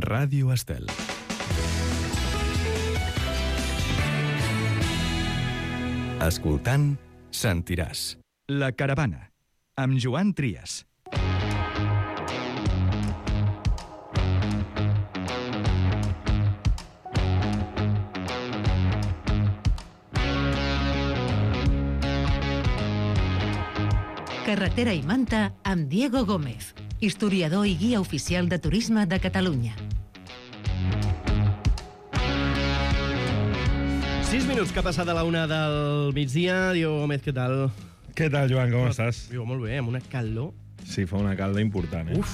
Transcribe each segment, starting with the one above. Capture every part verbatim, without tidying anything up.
Ràdio Estel. Escoltant, sentiràs. La Caravana, amb Joan Trias. Carretera i Manta amb Diego Gómez, historiador i guia oficial de turisme de Catalunya. Sis minuts que ha passat a la una del migdia. Diego Gómez, què tal? Què tal, Joan, com estàs? Viu molt bé, amb una calor. Sí, fa una calda important, eh? Uf.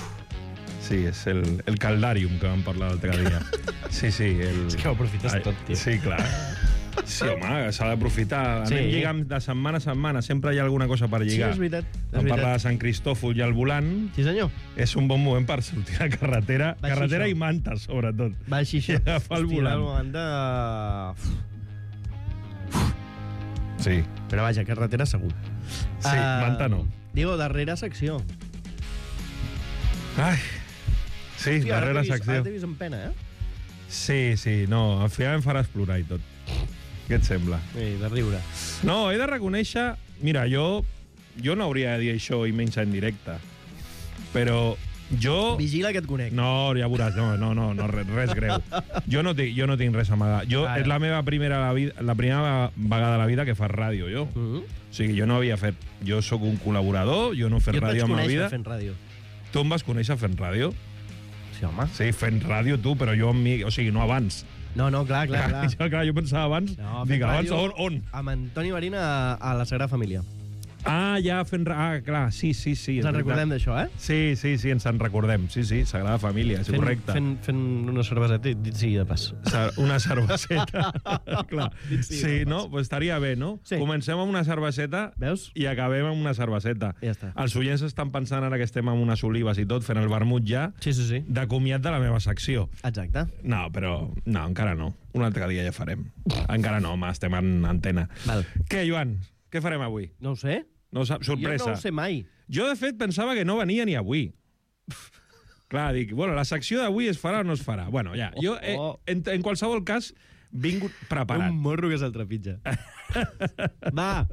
Sí, és el, el caldàrium que vam parlar l'altre dia. Sí, sí. El... És que ho aprofites Ai, tot, tio. Sí, clar. Sí, home, s'ha d'aprofitar. Sí. Anem lligant de setmana a setmana. Sempre hi ha alguna cosa per lligar. Sí, és veritat. És Vam parlar veritat. de Sant Cristòfol i el volant. Sí, senyor. És un bon moment per sortir a carretera. Va, carretera així, i manta, sobretot. Va així, això. I agafar el Hòstia, volant. el volant de... Sí. Però vaja, carretera segur. Sí, manta no. Diego, darrera secció. Ai. Sí, Hòstia, ara darrera t'he vist- secció. Ara t'he vist amb pena, eh? Sí, sí, no. Al final em faràs plorar i tot. Què et sembla? Sí, de riure. No, he de reconèixer... Mira, jo, jo no hauria de dir això i menys en directe. Però jo... Vigila que et conec. No, ja veuràs, no, no, no, no res, res greu. Jo no, tinc, jo no tinc res a amagar. Jo, Ara. és la meva primera, la, vida, la primera vegada a la vida que faig ràdio, jo. Mm -hmm. O sigui, jo no havia fet... Jo sóc un col·laborador, jo no he fet Jo et vaig ràdio a ma conèixer vida. fent ràdio. Tu em vas conèixer fent ràdio? Sí, home. Sí, fent ràdio tu, però jo amb mi... O sigui, no abans. No, no, clar, clar, clar. Jo, clar, jo pensava abans... No, dic, fent abans ràdio on? on? Amb Antoni Marín a, a la Sagrada Família. Ah, ja fent... Ah, clar, sí, sí, sí. Ens en recordem d'això, eh? Sí, sí, sí, ens en recordem. Sí, sí, Sagrada Família, és Fent, correcte. fent, fent una cerveseta i dit sigui de pas. Sa- Una cerveseta. Clar. Dit sigui Sí, de pas. no? Pues estaria bé, no? Sí. Comencem amb una cerveseta Veus? i acabem amb una cerveseta. Ja està. Els oients estan pensant ara que estem amb unes olives i tot, fent el vermut ja, Sí, sí, sí. de comiat de la meva secció. Exacte. No, però... No, encara no. Un altre dia ja farem. Encara no, home, estem en antena. Val. Què, Joan? Què farem avui? No ho sé. No ho saps? Sorpresa. Jo no ho sé mai. Jo, de fet, pensava que no venia ni avui. Clar, dic, bueno, la secció d'avui es farà o no es farà? Bueno, ja, jo, eh, en, en qualsevol cas, vinc preparat. Un morro que se'l trepitja. Va.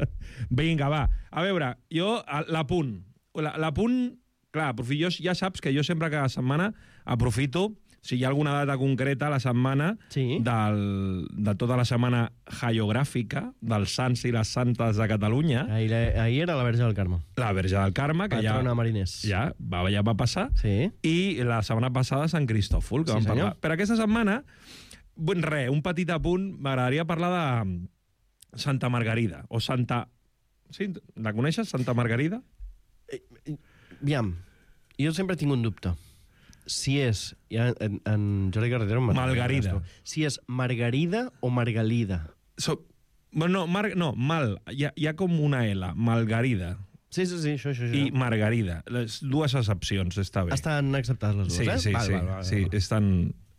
Vinga, va. A veure, jo, a- l'apunt. La- L'apunt, clar, aprofi- jo, ja saps que jo sempre cada setmana aprofito, si hi ha alguna data concreta a la setmana, Sí. del, de tota la setmana haiogràfica, dels sants i les santes de Catalunya, Ahir, ahir era la Verge del Carme. la Verge del Carme, que ja, Patrona mariners. ja, va, ja va passar, Sí. i la setmana passada Sant Cristòfol, que Sí, vam senyor. parlar. Per aquesta setmana, bueno, res, un petit apunt, m'agradaria parlar de Santa Margarida, o Santa... Sí, la coneixes, Santa Margarida? Aviam, jo sempre tinc un dubte. Si és... Ja, en, en Jordi Carretero... em- Margarida. Si és Margarida o Margalida. So, bueno, no, mar, no, mal, hi ha, hi ha com una L, Margarida Sí, sí, sí, això, això. això. i Margarida. Les dues excepcions, està bé. Estan acceptades les dues, Sí, eh? sí, val, sí, val, val, sí, val. estan...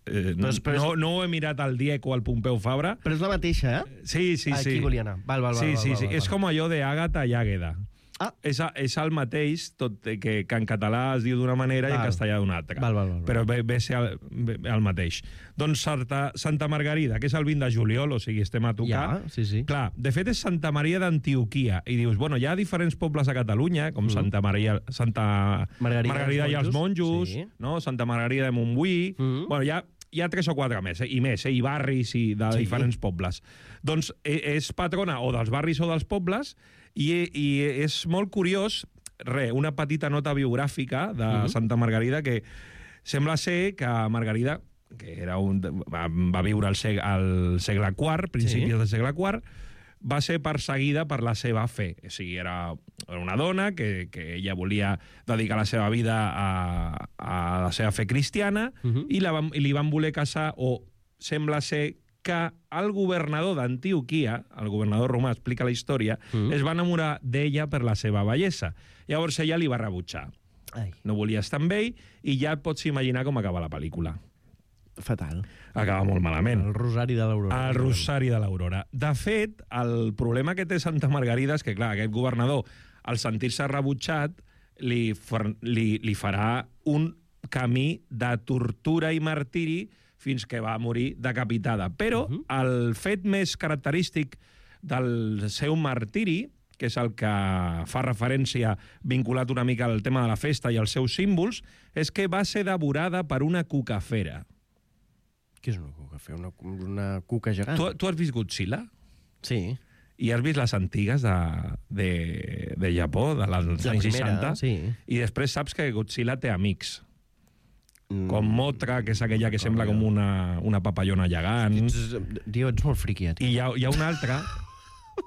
Eh, Però és- però és- no, no ho he mirat al Diego o al Pompeu Fabra. Però és la mateixa, eh? Sí, sí, sí. Aquí volia anar. Val, val, val, sí, val, sí, val, sí. val, És val. com allò de Àgata i Àgueda. Ah. És, a- és el mateix, tot eh, que, que en català es diu d'una manera i en Val. castellà d'una altra. Val, val, val, val. Però ve, ve ser el, ve, el mateix. Doncs Santa, Santa Margarida, que és el vint de juliol, o sigui, estem a tocar. Ja, sí, sí. Clar, de fet és Santa Maria d'Antioquia. I dius, bueno, hi ha diferents pobles a Catalunya, com Mm. Santa Maria, Santa Margarida Margarida dels i els Monjos, monjos, sí. no? Santa Margarida de Montbui... Mm. Bueno, hi ha, hi ha tres o quatre més, eh? I més, eh? I barris i de Sí. diferents pobles. Doncs eh, és patrona o dels barris o dels pobles i, i és molt curiós, re, una petita nota biogràfica de Mhm. Santa Margarida que sembla ser que Margarida, que era un, va, va viure al segle, al segle quart, principis Sí. del segle quart, va ser perseguida per la seva fe. O sigui, era una dona que, que ella volia dedicar la seva vida a, a la seva fe cristiana Mhm. i, la van, i li van voler casar, o sembla ser que el governador d'Antioquia, el governador romà, explica la història, Mhm. es va enamorar d'ella per la seva bellesa. Llavors ella li va rebutjar. Ai, No volia estar amb ell i ja et pots imaginar com acaba la pel·lícula. fatal. Acaba molt malament. El rosari de l'Aurora. El Rosari de l'Aurora. De fet, el problema que té Santa Margarida és que, clar, aquest governador, al sentir-se rebutjat, li, fer, li, li farà un camí de tortura i martiri fins que va morir decapitada. Però uh -huh. el fet més característic del seu martiri, que és el que fa referència vinculat una mica al tema de la festa i als seus símbols, és que va ser devorada per una cucafera. Què és una cucafera? Una, una cuca gegant? Tu, tu has vist Godzilla? Sí. I has vist les antigues de, de, de Japó, de les La anys primera, seixanta? sí. I després saps que Godzilla té amics. Mm. Com Mothra, que és aquella que sembla com una, una papallona gegant. Ets, tio, ets molt friqui, eh, tio. I hi ha, hi ha una altra...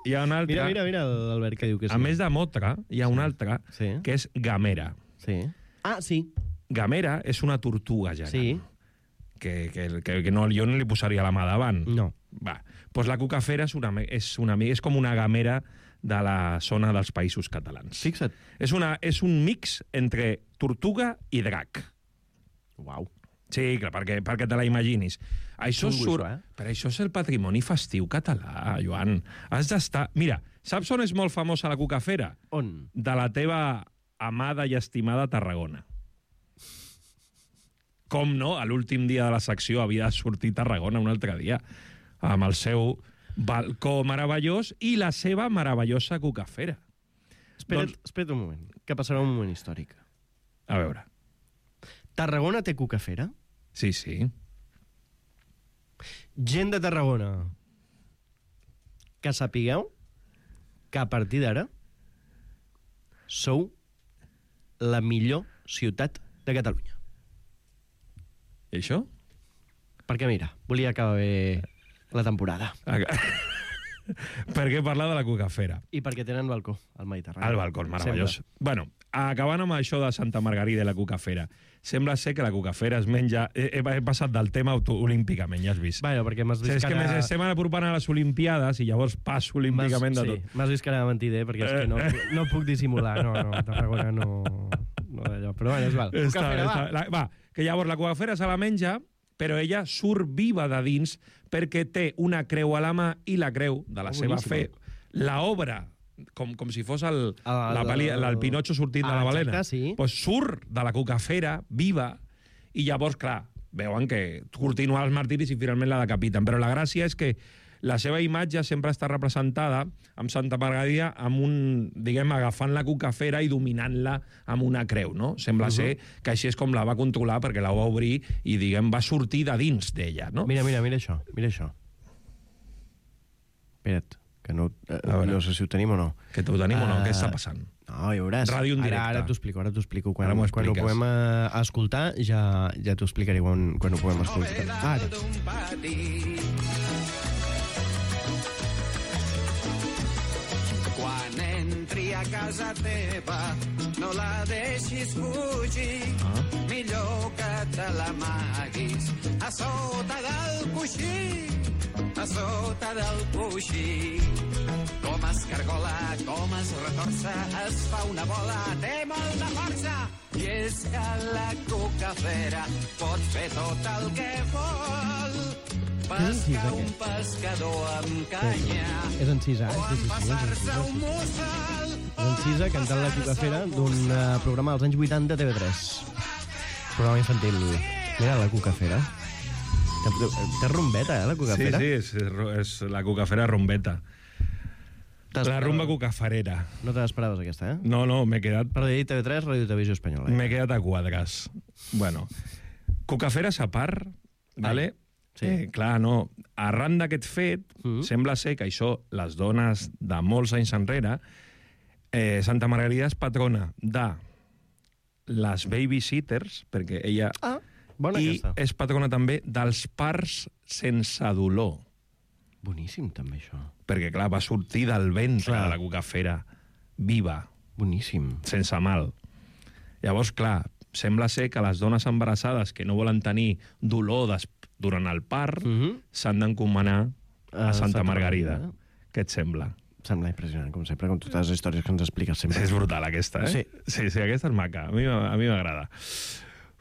Hi ha una altra... Mira, mira, mira l'Albert que diu que sí. A més de Mothra, hi ha una altra, Sí. que és Gamera. Sí. Ah, sí. Gamera és una tortuga gegant. Sí. Que, que, que, que no, jo no li posaria la mà davant. No. Va. Pues la cucafera és, una, és, una, és com una gamera de la zona dels Països Catalans. Fixa't. És, una, és un mix entre tortuga i drac. Uau. Sí, clar, perquè, perquè te la imaginis. Això Xungo, surt... això, eh? Però això és el patrimoni festiu català, Joan. Has d'estar... Mira, saps on és molt famosa la cucafera? On? De la teva amada i estimada Tarragona. Com no, a l'últim dia de la secció havia de sortir Tarragona un altre dia, amb el seu balcó meravellós i la seva meravellosa cucafera. Espera't, Doncs- espera't un moment, que passarà un moment històric. A veure. Tarragona té cucafera? Sí, sí. Gent de Tarragona, que sapigueu que a partir d'ara sou la millor ciutat de Catalunya. I això? Perquè, mira, volia acabar bé la temporada. Per què parlar de la cucafera? I perquè tenen balcó al Mediterrani. El balcó, meravellós. Sempre. Bueno, acabant amb això de Santa Margarida i la cucafera, sembla ser que la cucafera es menja... He, he passat del tema auto olímpicament, ja has vist. Bueno, perquè m'has O vist sigui, és que cara... més estem apropant a les Olimpiades i llavors passo olímpicament de sí, tot. m'has vist cara de mentider, perquè és que no, no puc dissimular. No, no, Tarragona no... no d'allò. Però bueno, és val. Està, Cucafera, està, va. la, va, que llavors la cucafera se la menja, però ella surt viva de dins perquè té una creu a la mà i la creu de la Oh, seva boníssima. fe. La obra, com, com si fos el, El- la peli, el, el Pinocho sortint Ah, de la balena, exacte, sí. pues surt de la cucafera viva i llavors, clar, veuen que continua els martiris i finalment la decapiten. Però la gràcia és que la seva imatge sempre està representada amb Santa Margarida amb un, diguem, agafant la cucafera i dominant-la amb una creu, no? Sembla uh -huh. ser que així és com la va controlar perquè la va obrir i, diguem, va sortir de dins d'ella, no? Mira, mira, mira això, mira això. Espera't, que no, eh, A veure. no sé si ho tenim o no. Que ho tenim o no? Ah, Què està passant? No, ja veuràs. Ràdio en directe. Ara, ara t'ho explico, ara t'ho explico. Quan, Ara m'ho quan ho expliques. puguem eh, escoltar, ja, ja t'ho explicaré quan, quan ho puguem escoltar. Ara. Quan entri a casa teva, no la deixis fugir. Ah. Millor que te l'amaguis a sota del coixí, a sota del coixí. Com es cargola, com es retorça, es fa una bola, té molta força. I és que la cucafera pot fer tot el que vol. Pescar un pescador amb canya És en Cisa, o eh? Sí, sí, sí, és en empassar-se Cisa, un sí. mussol. És en Cisa cantant la cucafera d'un uh, programa dels anys vuitanta de T V tres. Programa infantil. Mira la cucafera. Té, té rumbeta, eh, la Sí, cucafera? sí, és, és la cucafera rumbeta. T'has- La rumba cucafarera. No te l'esperaves, aquesta, eh? No, no, m'he quedat Per dir T V tres, Ràdio Televisió Espanyola. M'he quedat a quadres. Bueno, cucaferes a part, vale? Sí. Eh, clar, no. Arran d'aquest fet, Mm. sembla ser que això, les dones de molts anys enrere, eh, Santa Margarida és patrona de les babysitters, perquè ella... Ah, bona I aquesta. és patrona també dels parts sense dolor. Boníssim, també, això. Perquè, clar, va sortir del ventre Clar. de la cucafera, viva, Boníssim. sense mal. Llavors, clar, sembla ser que les dones embarassades que no volen tenir dolor des, durant el part Mm -hmm. s'han d'encomanar a, A Santa Santa Margarida. Margarida. Què et sembla? Sembla impressionant, com sempre, com totes les històries que ens expliques sempre. És brutal, aquesta, eh? Sí. Sí, sí, aquesta és maca. A mi, a mi m'agrada.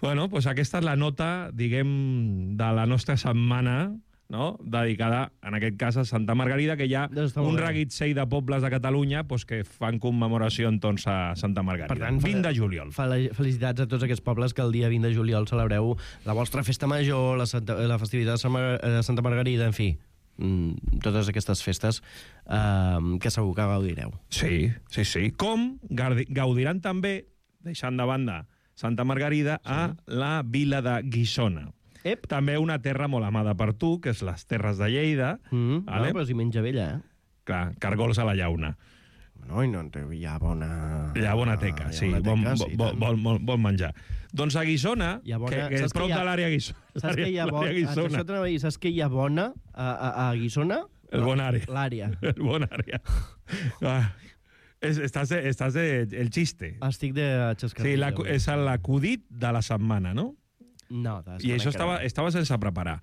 Bueno, doncs aquesta és la nota, diguem, de la nostra setmana no? Dedicada, en aquest cas, a Santa Margarida, que hi ha Doncs està molt un bé. reguitzell de pobles de Catalunya pues, que fan commemoració entorn a Santa Margarida. Per tant, vint de juliol. Fel- Felicitats a tots aquests pobles que el dia vint de juliol celebreu la vostra festa major, la, Santa, la festivitat de Sant Mar- de Santa Margarida, en fi, mm, totes aquestes festes eh, que segur que gaudireu. Sí, sí, sí. Com gardi- gaudiran també, deixant de banda Santa Margarida, sí. a la vila de Guissona. Ep. També una terra molt amada per tu, que és les Terres de Lleida. Mm, vale? no, però si menja vella, eh? Clar, cargols a la llauna. No, i no, hi ha bona... Hi ha bona teca, hi ha sí, bona bon, teca, bon, sí, bon, tant. bon, bon, bon menjar. Doncs a Guissona, Hi ha bona- que, que saps és prop que hi ha- de l'àrea Guissona. Saps que hi ha bona... l'àrea Guissona. Això t'anava a dir, saps que hi ha bona a, a, a Guissona? El bon àrea. L'àrea. El bon àrea. Ah, és, estàs, de, estàs de, el xiste. Estic de xascarrillo. Sí, la, és l'acudit de la setmana, no? No, de I això estava, estava sense preparar.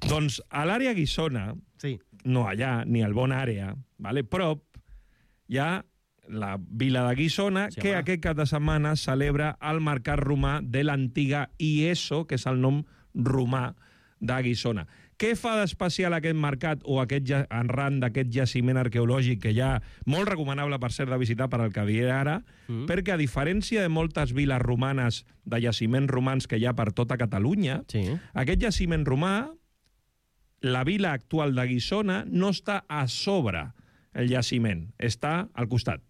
Doncs a l'àrea Guissona, Sí. no allà, ni al bon àrea, vale? Prop, hi ha la vila de Guissona, Sí, que home. aquest cap de setmana celebra el mercat romà de l'antiga Ieso, que és el nom romà de Guissona. Què fa d'especial aquest mercat o aquest ja- arran d'aquest jaciment arqueològic que ja molt recomanable per ser de visitar per al que diré ara, mm. perquè a diferència de moltes viles romanes de jaciments romans que hi ha per tota Catalunya, Sí. aquest jaciment romà, la vila actual de Guissona, no està a sobre el jaciment, està al costat.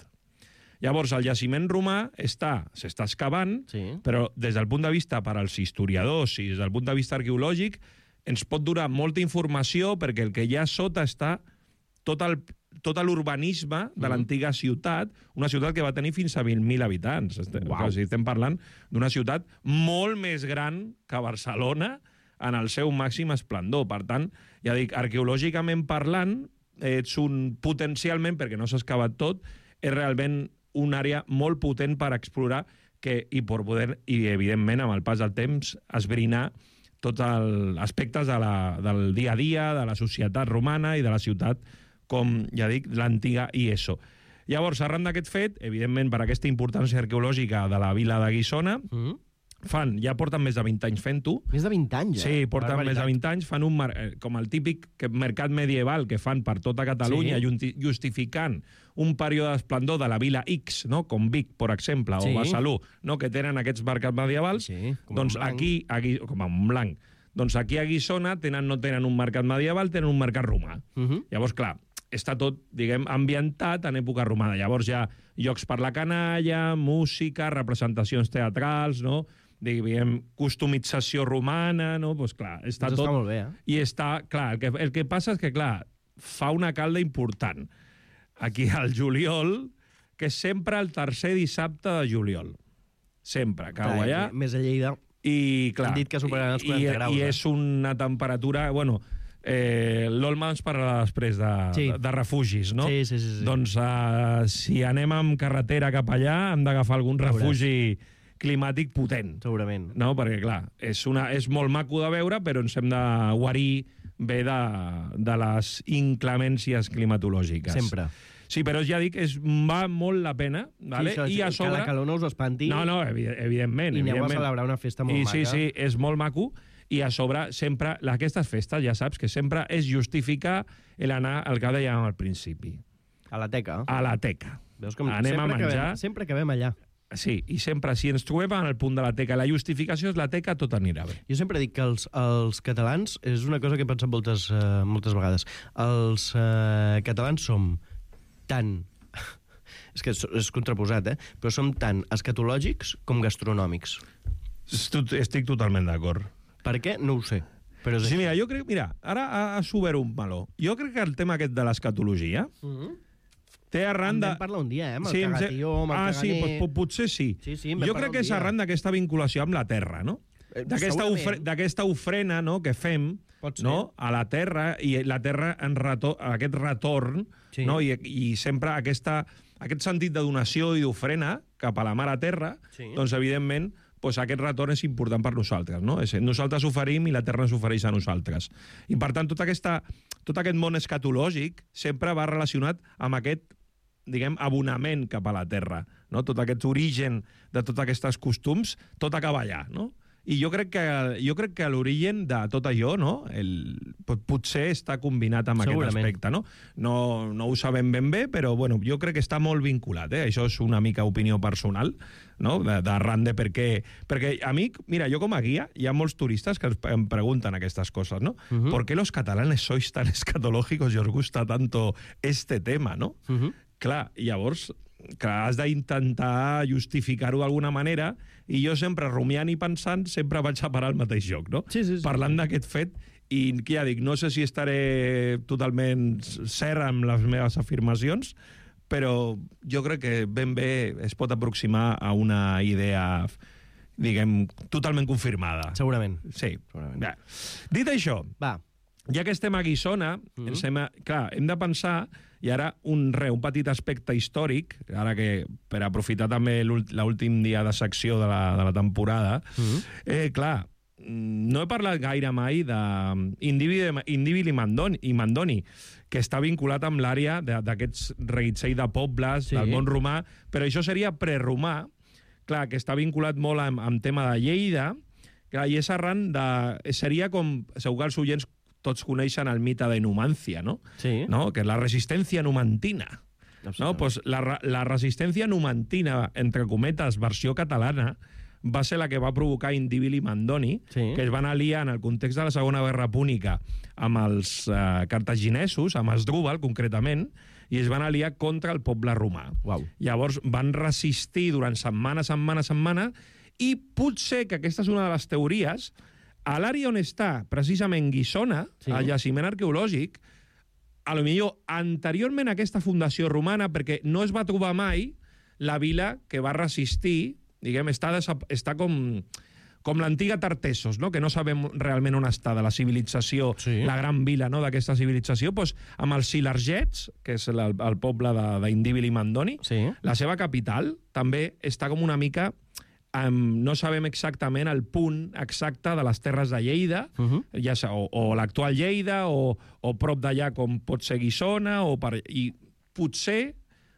Llavors, el jaciment romà està, s'està excavant, Sí. però des del punt de vista per als historiadors i des del punt de vista arqueològic ens pot donar molta informació perquè el que hi ha sota està tot el tot l'urbanisme de l'antiga ciutat, una ciutat que va tenir fins a vint mil habitants. Estem, Uau. o sigui, estem parlant d'una ciutat molt més gran que Barcelona en el seu màxim esplendor. Per tant, ja dic, arqueològicament parlant, ets un potencialment, perquè no s'ha excavat tot, és realment una àrea molt potent per explorar que, i per poder, i evidentment, amb el pas del temps, esbrinar tots els aspectes de la, del dia a dia, de la societat romana i de la ciutat, com ja dic, l'antiga Ieso. Llavors, arran d'aquest fet, evidentment, per aquesta importància arqueològica de la vila de Guissona, Mm. fan, ja porten més de vint anys fent-ho. Més de vint anys, eh? Sí, porten Barbaritat. més de vint anys, fan un mar- eh, com el típic que- mercat medieval que fan per tota Catalunya, Sí. junti- justificant un període d'esplendor de la vila X, no? Com Vic, per exemple, Sí. o Besalú, no? Que tenen aquests mercats medievals. Sí, com a doncs Montblanc. aquí, aquí, com a Montblanc, doncs aquí a Guissona tenen, no tenen un mercat medieval, tenen un mercat romà. Mhm. Llavors, clar, està tot, diguem, ambientat en època romana. Llavors hi ha llocs per la canalla, música, representacions teatrals, no? Diguem, customització romana, no? Doncs clar, està Doncs tot... està molt bé, eh? I està, clar, el que, el que passa és que, clar, fa una calda important. Aquí al juliol, que és sempre el tercer dissabte de juliol. Sempre, cau Carai, allà. Més a Lleida. I, clar, Han dit que superaran els quaranta i, graus, I eh? és una temperatura... Bueno, eh, l'Olma ens parlarà després de, Sí. de, de refugis, no? Sí, sí, sí, sí. Doncs uh, si anem amb carretera cap allà, hem d'agafar algun Veuràs. refugi climàtic potent. Segurament. No? Perquè, clar, és, una, és molt maco de veure, però ens hem de guarir bé de, de les inclemències climatològiques. Sempre. Sí, però ja dic, és, va molt la pena, vale? Sí, això, I a sobre... que la calor no us espanti. No, no, evi- evidentment. I aneu a evidentment. celebrar una festa molt I, maca. Sí, sí, és molt maco. I a sobre, sempre, aquestes festes, ja saps, que sempre és justificar l'anar al que dèiem al principi, A la teca. a la teca. Veus com Anem a sempre menjar. Acabem, sempre acabem allà. Sí, i sempre, si ens trobem en el punt de la teca, la justificació és la teca, tot anirà bé. Jo sempre dic que els, els catalans, és una cosa que he pensat moltes, uh, moltes vegades, els uh, catalans som tan... és que és, és contraposat, eh? Però som tan escatològics com gastronòmics. Estic, estic totalment d'acord. Per què? No ho sé. Però és Sí, així. mira, jo crec... Mira, ara ha, ha obert un meló. Jo crec que el tema aquest de l'escatologia Mhm. té arran En de... vam parlar un dia, eh? Amb el Sí, em sé- cagatió, amb el ah, sí, caganer... doncs, potser sí. Sí, sí, en vam jo parlar crec que un és dia. arran d'aquesta vinculació amb la terra, no? Eh, D'aquesta segurament. ofre, d'aquesta ofrena, no?, que fem, Pot ser. no?, a la terra, i la terra en retor, aquest retorn, Sí. no?, I, i sempre aquesta, aquest sentit de donació i d'ofrena cap a la mare terra, Sí. doncs, evidentment, doncs aquest retorn és important per nosaltres, no? És, nosaltres oferim i la terra ens ofereix a nosaltres. I, per tant, tota aquesta, tot aquest món escatològic sempre va relacionat amb aquest, diguem, abonament cap a la terra, no? Tot aquest origen de tots aquests costums, tot acaba allà, no? I jo crec que, jo crec que l'origen de tot allò, no? El, pot- potser està combinat amb aquest Segurament. aspecte, no? No, no ho sabem ben bé, però bueno, jo crec que està molt vinculat, eh? Això és una mica opinió personal, no? De, d'arran de per què... Perquè a mi, mira, jo com a guia, hi ha molts turistes que em pregunten aquestes coses, no? Uh -huh. ¿Por qué los catalanes sois tan escatológicos y os gusta tanto este tema, no? Uh -huh. Clar, llavors, clar, has d'intentar justificar-ho d'alguna manera, i jo sempre, rumiant i pensant, sempre vaig a parar al mateix lloc, no? Sí, sí, sí. Parlant d'aquest fet, i ja dic, no sé si estaré totalment cert amb les meves afirmacions, però jo crec que ben bé es pot aproximar a una idea, diguem, totalment confirmada. Segurament. Sí. Segurament. Bé. Dit això, Va. ja que estem a Guissona, Mhm. ens hem, clar, hem de pensar, i ara un, re, un petit aspecte històric, ara que per aprofitar també l'últ- l'últim dia de secció de la, de la temporada, Mhm. eh, clar, no he parlat gaire mai d'Indíbil i Mandoni, i Mandoni, que està vinculat amb l'àrea de- d'aquests reguitzell de pobles, Sí. del món romà, però això seria preromà, clar, que està vinculat molt amb, amb tema de Lleida, clar, i és arran de... Seria com... Segur que els oients tots coneixen el mite de Numància, no? Sí. No? Que és la resistència numantina. No? Pues la, re- la resistència numantina, entre cometes, versió catalana, va ser la que va provocar Indíbil i Mandoni, Sí. que es van aliar en el context de la Segona Guerra Púnica amb els eh, cartaginesos, amb Asdrúbal, concretament, i es van aliar contra el poble romà. Uau. Llavors van resistir durant setmana, setmana, setmana, i potser, que aquesta és una de les teories, a l'àrea on està precisament Guissona, Sí. al jaciment arqueològic, a lo millor anteriorment a aquesta fundació romana, perquè no es va trobar mai la vila que va resistir, diguem, està, desap... està com, com l'antiga Tartessos, no? Que no sabem realment on està, de la civilització, Sí. la gran vila, no?, d'aquesta civilització, doncs, amb els Silargets, que és el, el poble de- d'Indíbil i Mandoni, Sí. la seva capital també està com una mica... Um, no sabem exactament el punt exacte de les terres de Lleida, Uh -huh. ja sa, o, o l'actual Lleida, o, o prop d'allà com pot ser Guissona, o per, i potser,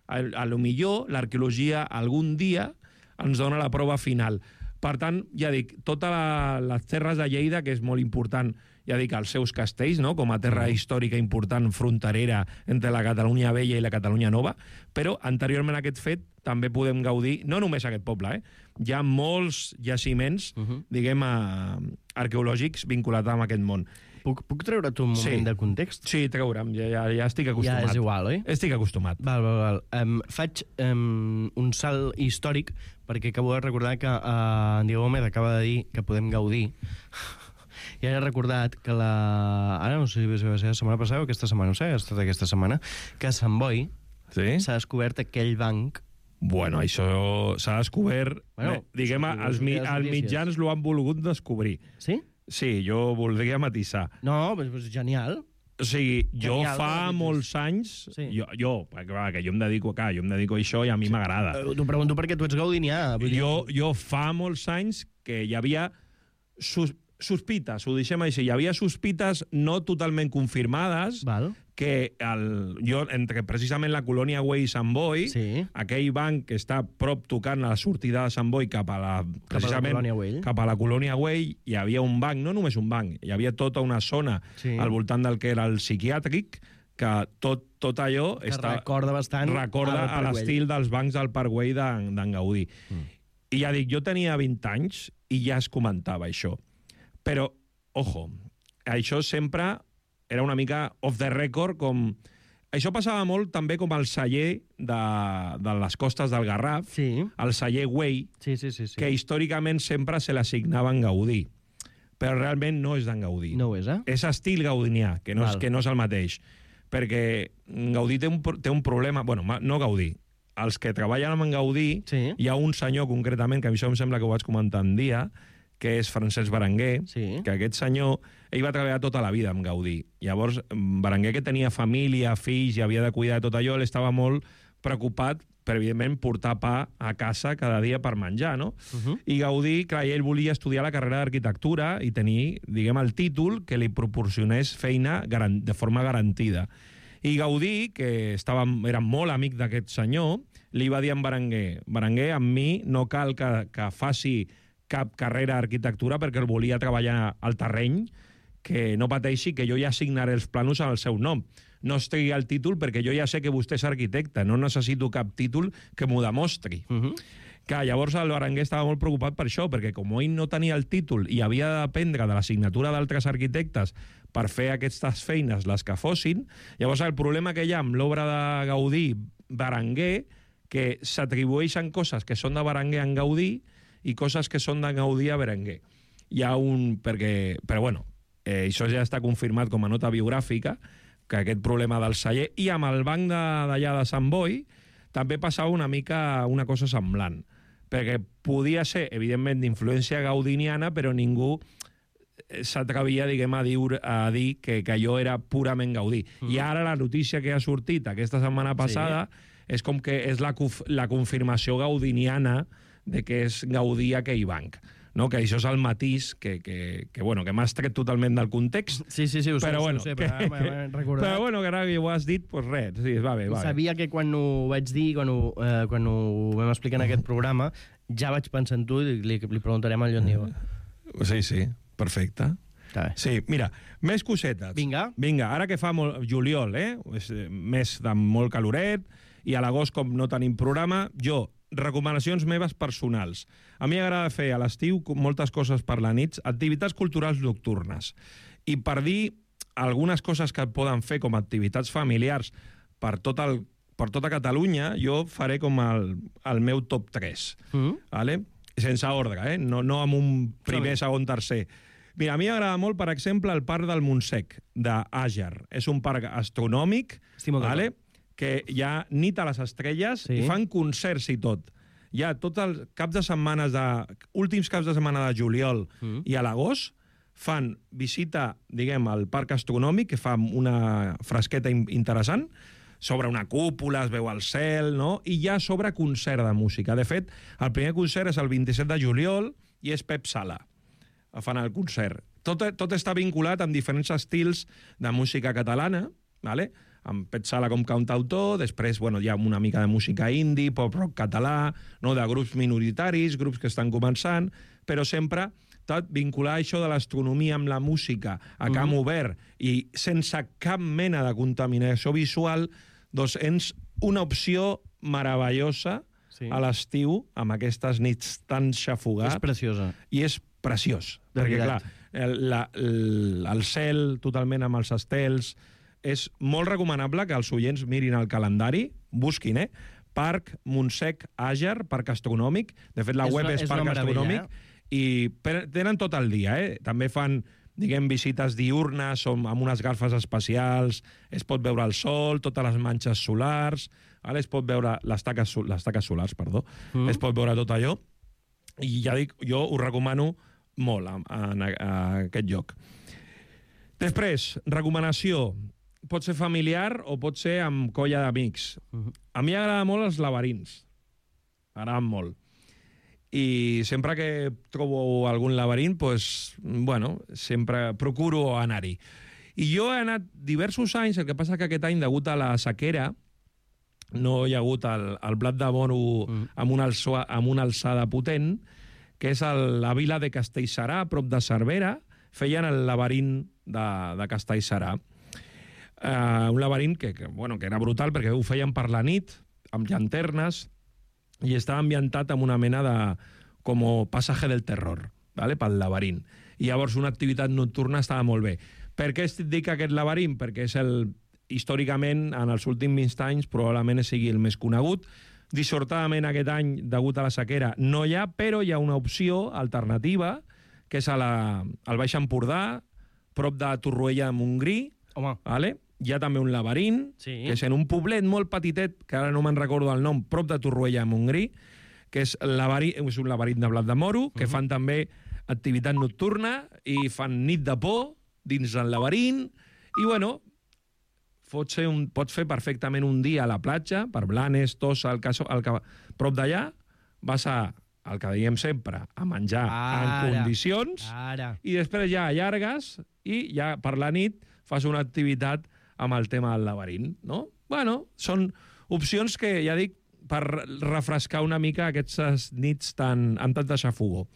a, a lo millor, l'arqueologia algun dia ens dona la prova final. Per tant, ja dic, totes la, les terres de Lleida, que és molt important, ja dic, els seus castells, no?, com a terra històrica important, fronterera entre la Catalunya Vella i la Catalunya Nova, però anteriorment a aquest fet també podem gaudir, no només aquest poble, eh? Hi ha molts jaciments, Uh -huh. diguem, a, arqueològics vinculats amb aquest món. Puc, puc treure't un moment Sí. de context? Sí, treure'm, ja, ja, ja estic acostumat. Ja és igual, oi? Estic acostumat. Val, val, val. Um, faig um, un salt històric perquè acabo de recordar que uh, en Diego Gómez acaba de dir que podem gaudir. I ara he recordat que la... Ara no sé si va ser la setmana passada o aquesta setmana, no sé, ha estat aquesta setmana, que a Sant Boi Sí? s'ha descobert aquell banc. Bueno, això s'ha descobert... Bueno, eh, diguem, sí, els, mi, les els notícies. mitjans l'ho han volgut descobrir. Sí? Sí, jo voldria matisar. No, però és genial. O sigui, jo Genial, fa no? molts anys... Sí. Jo, jo, perquè, va, que jo em dedico, clar, jo em dedico a això i a mi m'agrada. Uh, T'ho pregunto perquè tu ets gaudinià. vull dir- Jo, jo fa molts anys que hi havia sus, sospites, ho deixem així, hi havia sospites no totalment confirmades Val. que el, jo, entre precisament la colònia Güell i Sant Boi, Sí. aquell banc que està prop tocant a la sortida de Sant Boi cap a la, precisament, colònia Güell. cap a la colònia Güell, hi havia un banc, no només un banc, hi havia tota una zona Sí. al voltant del que era el psiquiàtric, que tot, tot allò Que està, recorda bastant recorda al a Parc l'estil dels bancs del Parc Güell d'en d'en Gaudí. Mm. I ja dic, jo tenia vint anys i ja es comentava això. Però, ojo, això sempre era una mica off the record, com... Això passava molt també com el celler de, de les costes del Garraf, Sí, el celler Güell, sí, sí, sí. sí. que històricament sempre se l'assignava en Gaudí. Però realment no és d'en Gaudí. No ho és, eh? És estil gaudinià, que no, és, Val. que no és el mateix. Perquè Gaudí té un, pro- té un problema... Bueno, ma- no Gaudí. Els que treballen amb en Gaudí, Sí. hi ha un senyor concretament, que a mi això em sembla que ho vaig comentar un dia, que és Francesc Berenguer, Sí. que aquest senyor, ell va treballar tota la vida amb Gaudí. Llavors, Berenguer, que tenia família, fills, i havia de cuidar de tot allò, ell estava molt preocupat per, evidentment, portar pa a casa cada dia per menjar, no? Uh -huh. I Gaudí, clar, ell volia estudiar la carrera d'arquitectura i tenir, diguem, el títol que li proporcionés feina garan- de forma garantida. I Gaudí, que estava, era molt amic d'aquest senyor, li va dir a en Berenguer, Berenguer, amb mi no cal que, que faci cap carrera d'arquitectura perquè el volia treballar al terreny, que no pateixi, que jo ja signaré els plànols amb el seu nom. No estigui el títol perquè jo ja sé que vostè és arquitecte, no necessito cap títol que m'ho demostri. Uh -huh. Que llavors el Berenguer estava molt preocupat per això, perquè com ell no tenia el títol i havia de dependre de la signatura d'altres arquitectes per fer aquestes feines, les que fossin, llavors el problema que hi ha amb l'obra de Gaudí Berenguer, que s'atribueixen coses que són de Berenguer en Gaudí i coses que són de Gaudí a Berenguer. Hi ha un... perquè... Però bueno, eh, això ja està confirmat com a nota biogràfica, que aquest problema del celler, i amb el banc d'allà de Sant Boi també passava una mica una cosa semblant, perquè podia ser, evidentment, d'influència gaudiniana, però ningú s'atrevia, diguem, a dir, a dir que, que allò era purament Gaudí. Mm. I ara la notícia que ha sortit aquesta setmana passada sí. és com que és la, la confirmació gaudiniana de que és Gaudí aquell banc. No? Que això és el matís que, que, que, bueno, que m'has tret totalment del context. Sí, sí, sí, ho sé, però, bueno, ho sé, que, però m'he recordat. Però bueno, que ara que ho has dit, doncs res, sí, va bé, va bé. Sabia que quan ho vaig dir, quan ho, eh, quan ho vam explicar en aquest programa, ja vaig pensar en tu i li, li preguntarem al Joan Diego. Sí, sí, perfecte. Sí, mira, més cosetes. Vinga. Vinga, ara que fa molt, juliol, eh? És mes de molt caloret, i a l'agost, com no tenim programa, jo, recomanacions meves personals. A mi m'agrada fer a l'estiu moltes coses per la nit, activitats culturals nocturnes. I per dir algunes coses que poden fer com a activitats familiars per tot el, per tota Catalunya, jo faré com el, el meu top tres. Mm. Vale? Sense ordre, eh? No, no amb un primer, segon, tercer. Mira, a mi m'agrada molt, per exemple, el Parc del Montsec, d'Àger. És un parc astronòmic, vale? Que hi ha nit a les estrelles sí. i fan concerts i tot. Hi ha tots els caps de setmanes de... últims caps de setmana de juliol mm. i a l'agost fan visita, diguem, al parc astronòmic, que fa una fresqueta interessant, sobre una cúpula, es veu al cel, no? I hi ha sobre concert de música. De fet, el primer concert és el vint-i-set de juliol i és Pep Sala. Fan el concert. Tot, tot està vinculat amb diferents estils de música catalana, ¿vale? Amb Pep Sala com cantautor, després bueno, hi ha una mica de música indie, pop-rock català, no? De grups minoritaris, grups que estan començant, però sempre tot vincular això de l'astronomia amb la música a camp mm. obert i sense cap mena de contaminació visual, doncs és una opció meravellosa sí. a l'estiu, amb aquestes nits tan xafugats. És preciosa. I és preciós. De perquè, veritat. clar, el, la, el, el cel totalment amb els estels... És molt recomanable que els oients mirin el calendari, busquin, eh? Parc Montsec Àger, Parc Astronòmic. De fet, la és web una, és, és Parc Astronòmic. Eh? I tenen tot el dia, eh? També fan, diguem, visites diurnes amb unes garfes especials, es pot veure el sol, totes les manxes solars, ara es pot veure les taques, les taques solars, perdó, mm. es pot veure tot allò. I ja dic, jo ho recomano molt a, a, a aquest lloc. Després, recomanació. Pot ser familiar o pot ser amb colla d'amics. Uh-huh. A mi m'agrada molt els laberints. M'agraden molt. I sempre que trobo algun laberint, pues, bueno, sempre procuro anar-hi. I jo he anat diversos anys, el que passa que aquest any, degut a la sequera, no hi ha hagut el, el blat de moro uh-huh. amb, una alçada, amb una alçada potent, que és el, la vila de Castellserà, a prop de Cervera, feien el laberint de, de Castellserà. Uh, un laberint que, que, bueno, que era brutal perquè ho feien per la nit, amb llanternes, i estava ambientat amb una mena de... com passaje del terror, ¿vale? Pel laberint. I llavors una activitat nocturna estava molt bé. Per què et dic aquest laberint? Perquè és el... històricament, en els últims anys, probablement sigui el més conegut. Dissortadament aquest any, degut a la sequera, no hi ha, però hi ha una opció alternativa, que és a la, al Baix Empordà, prop de Torroella de Montgrí, vale? Hi ha també un laberint, sí. que és en un poblet molt petitet, que ara no me'n recordo el nom, prop de Torroella de Montgrí, que és, és un laberint de blat de moro, que uh-huh. fan també activitat nocturna i fan nit de por dins del laberint, i bueno, pot, ser un, pot fer perfectament un dia a la platja, per Blanes, Tossa, el caso, el, prop d'allà, vas a, el que diem sempre, a menjar ara, en condicions, ara. I després ja allargues i ja per la nit fas una activitat amb el tema del laberint, no? Bueno, són opcions que, ja dic, per refrescar una mica aquestes nits tan, amb tant de xafogó.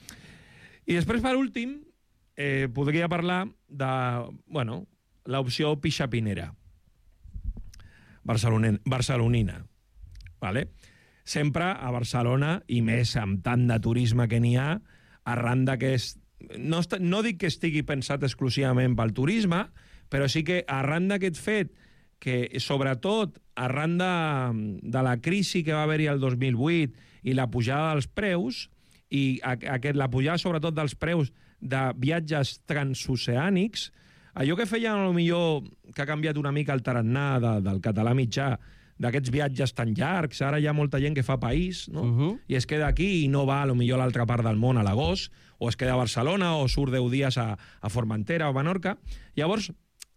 I després, per últim, eh, podria parlar de, bueno, l'opció pixapinera, barcelonen, barcelonina, vale? Sempre a Barcelona, i més amb tant de turisme que n'hi ha, arran de que és... No, est- no dic que estigui pensat exclusivament pel turisme, però sí que arran d'aquest fet, que sobretot arran de, de la crisi que va haver-hi el dos mil vuit i la pujada dels preus, i a- aquest, la pujada sobretot dels preus de viatges transoceànics, allò que feien, a lo millor, que ha canviat una mica el tarannà de, del català mitjà, d'aquests viatges tan llargs, ara hi ha molta gent que fa país, no? Uh-huh. I es queda aquí i no va a lo millor a l'altra part del món a l'agost, o es queda a Barcelona, o surt deu dies a, a Formentera o a Menorca. Llavors,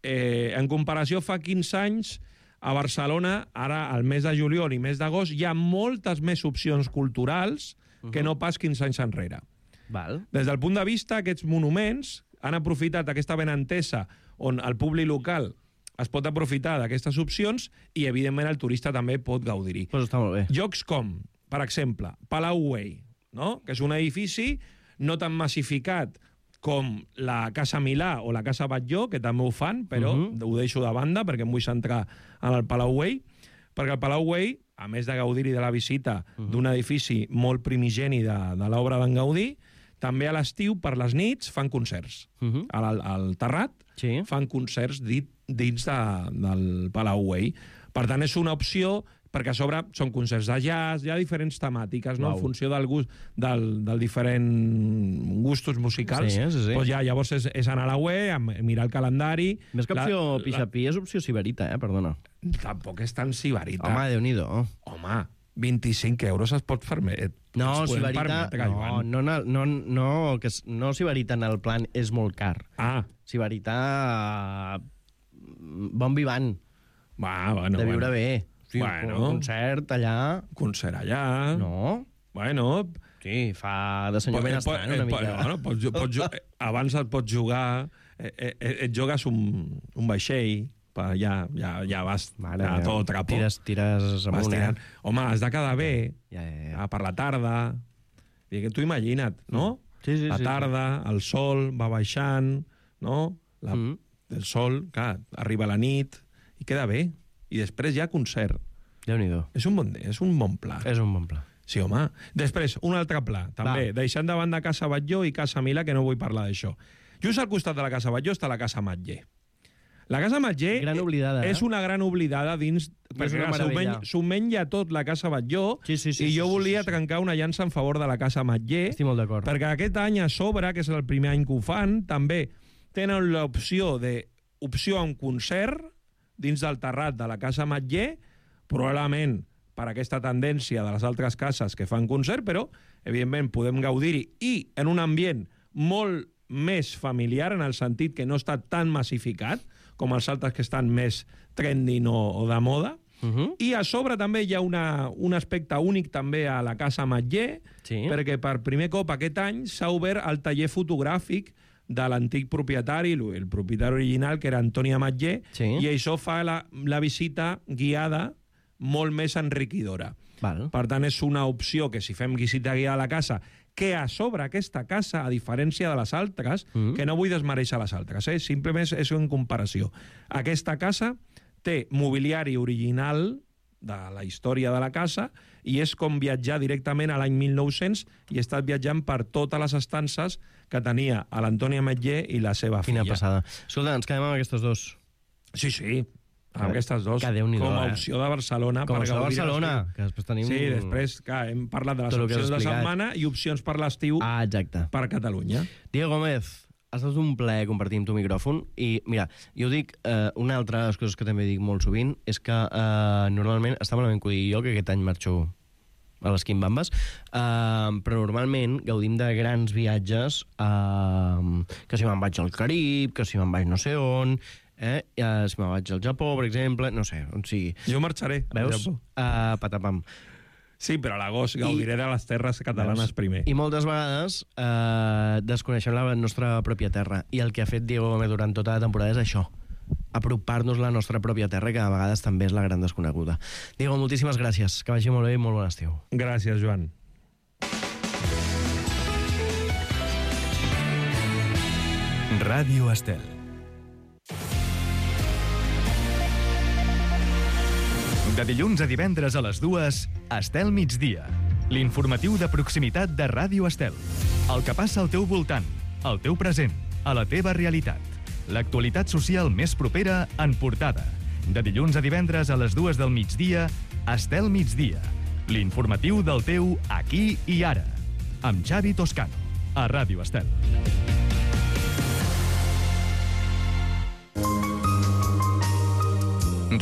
eh, en comparació fa quinze anys, a Barcelona, ara al mes de juliol i mes d'agost, hi ha moltes més opcions culturals uh-huh. que no pas quinze anys enrere. Val. Des del punt de vista, aquests monuments han aprofitat aquesta benentesa on el públic local es pot aprofitar d'aquestes opcions i, evidentment, el turista també pot gaudir-hi. Pues està molt bé. Llocs com, per exemple, Palau Güell, no? Que és un edifici no tan massificat com la Casa Milà o la Casa Batlló, que també ho fan, però uh -huh. ho deixo de banda perquè em vull centrar en el Palau Güell, perquè el Palau Güell, a més de gaudir-hi de la visita uh -huh. d'un edifici molt primigeni de, de l'obra d'en Gaudí, també a l'estiu, per les nits, fan concerts. Uh -huh. Al, al Terrat Sí. fan concerts dit, dins de, del Palau Güell. Per tant, és una opció, perquè a sobre són concerts de jazz, hi ha diferents temàtiques, no? Uau. En funció del gust, del, del diferent gustos musicals. Sí, sí, sí. Doncs ja, llavors és, és anar a la web, mirar el calendari... Més que opció la, pixapí és opció siberita, eh? Perdona. La, tampoc és tan sibarita. Home, Déu-n'hi-do. Home, vint-i-cinc euros es pot permetre. No, es poden siberita... permetre, No, Joan. no, no, no, no, que s- no siberita en el plan és molt car. Ah, Siberita... Bon vivant, va, bueno, de viure bueno. bé. Sí, Bueno. un concert allà... Concert allà... No? Bueno, Sí, fa de senyor benestant una mica. Eh, bueno, pots, pots, ju- eh, abans et pots jugar, eh, eh, et jugues un, un vaixell, per ja, ja, ja vas Mare a meva. tot trapo. Tires, tires Vas amunt, eh? tirant. Home, has de quedar bé, Ja, ja, ja. ah, per la tarda. I que tu imagina't, no? Sí, sí, la sí, tarda, el sol va baixant, no? La, Mm. El sol, clar, arriba la nit, i queda bé. I després hi ha concert. Déu-n'hi-do. És un bon, és un bon pla. És un bon pla. Sí, home. Després, un altre pla, també, Va. deixant de banda Casa Batlló i Casa Milà, que no vull parlar d'això. Just al costat de la Casa Batlló està la Casa Matller. La Casa Matller Gran oblidada, eh? és una gran oblidada dins... Perquè una una s'ho meravella. men- s'ho menja tot la Casa Batlló, Sí, sí, sí, i sí, jo sí, volia sí, sí. trencar una llança en favor de la Casa Matller, Estic molt d'acord. perquè aquest any a sobre, que és el primer any que ho fan, també tenen l'opció de opció a un concert dins del terrat de la Casa Matller, probablement per aquesta tendència de les altres cases que fan concert, però, evidentment, podem gaudir-hi i en un ambient molt més familiar, en el sentit que no està tan massificat com els altres que estan més trending o, o de moda. Uh -huh. I a sobre també hi ha una, un aspecte únic també a la Casa Matller, Sí. perquè per primer cop aquest any s'ha obert el taller fotogràfic de l'antic propietari, el propietari original, que era Antònia Matller, Sí. i això fa la, la visita guiada molt més enriquidora. Val. Per tant, és una opció que si fem visita guiada a la casa, que a sobre aquesta casa, a diferència de les altres, Mm. que no vull desmereixer les altres, eh? Simplement és, és en comparació. Aquesta casa té mobiliari original de la història de la casa i és com viatjar directament a l'any mil nou-cents i he estat viatjant per totes les estances que tenia a l'Antònia Matller i la seva Quina filla. passada. Escolta, ens quedem amb aquestes dos. Sí, sí, amb aquestes dos. Que Déu-n'hi-do, com a eh? opció de Barcelona. Com a per opció de gaudir Barcelona, l'estiu. que després tenim... Sí, després, clar, hem parlat de les Tot el que has opcions de explicat. setmana i opcions per l'estiu Ah, exacte. per Catalunya. Diego Gómez, ha estat un plaer compartir amb tu micròfon i, mira, jo dic, eh, una altra de les coses que també dic molt sovint és que eh, normalment, està malament que ho digui jo, que aquest any marxo a les Quimbambes, eh, però normalment gaudim de grans viatges, eh, que si me'n vaig al Carib, que si me'n vaig no sé on, eh, eh, si me'n vaig al Japó, per exemple, no sé, on sigui. Jo marxaré. al Veus? Japó. Uh, patapam. Sí, però a l'agost gaudiré de les terres catalanes primer. I moltes vegades eh, desconeixem la nostra pròpia terra. I el que ha fet Diego Gómez durant tota la temporada és això, apropar-nos a la nostra pròpia terra, que a vegades també és la gran desconeguda. Diego, moltíssimes gràcies. Que vagi molt bé i molt bon estiu. Gràcies, Joan. Ràdio Estel. De dilluns a divendres a les dues, Estel migdia. L'informatiu de proximitat de Ràdio Estel. El que passa al teu voltant, al teu present, a la teva realitat. L'actualitat social més propera en portada. De dilluns a divendres a les dues del migdia, Estel migdia. L'informatiu del teu aquí i ara. Amb Xavi Toscano, a Ràdio Estel.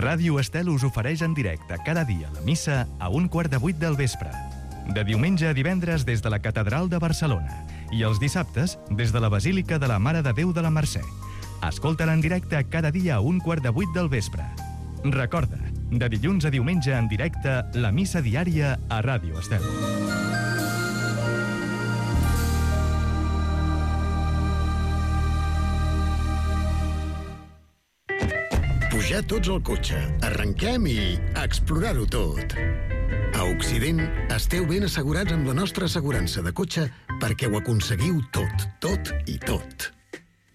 Ràdio Estel us ofereix en directe cada dia la missa a un quart de vuit del vespre. De diumenge a divendres des de la Catedral de Barcelona i els dissabtes des de la Basílica de la Mare de Déu de la Mercè. Escolta-la en directe cada dia a un quart de vuit del vespre. Recorda, de dilluns a diumenge en directe, la missa diària a Ràdio Estel. Pujar tots al cotxe, arrenquem i explorar-ho tot. A Occident esteu ben assegurats amb la nostra assegurança de cotxe perquè ho aconseguiu tot, tot i tot.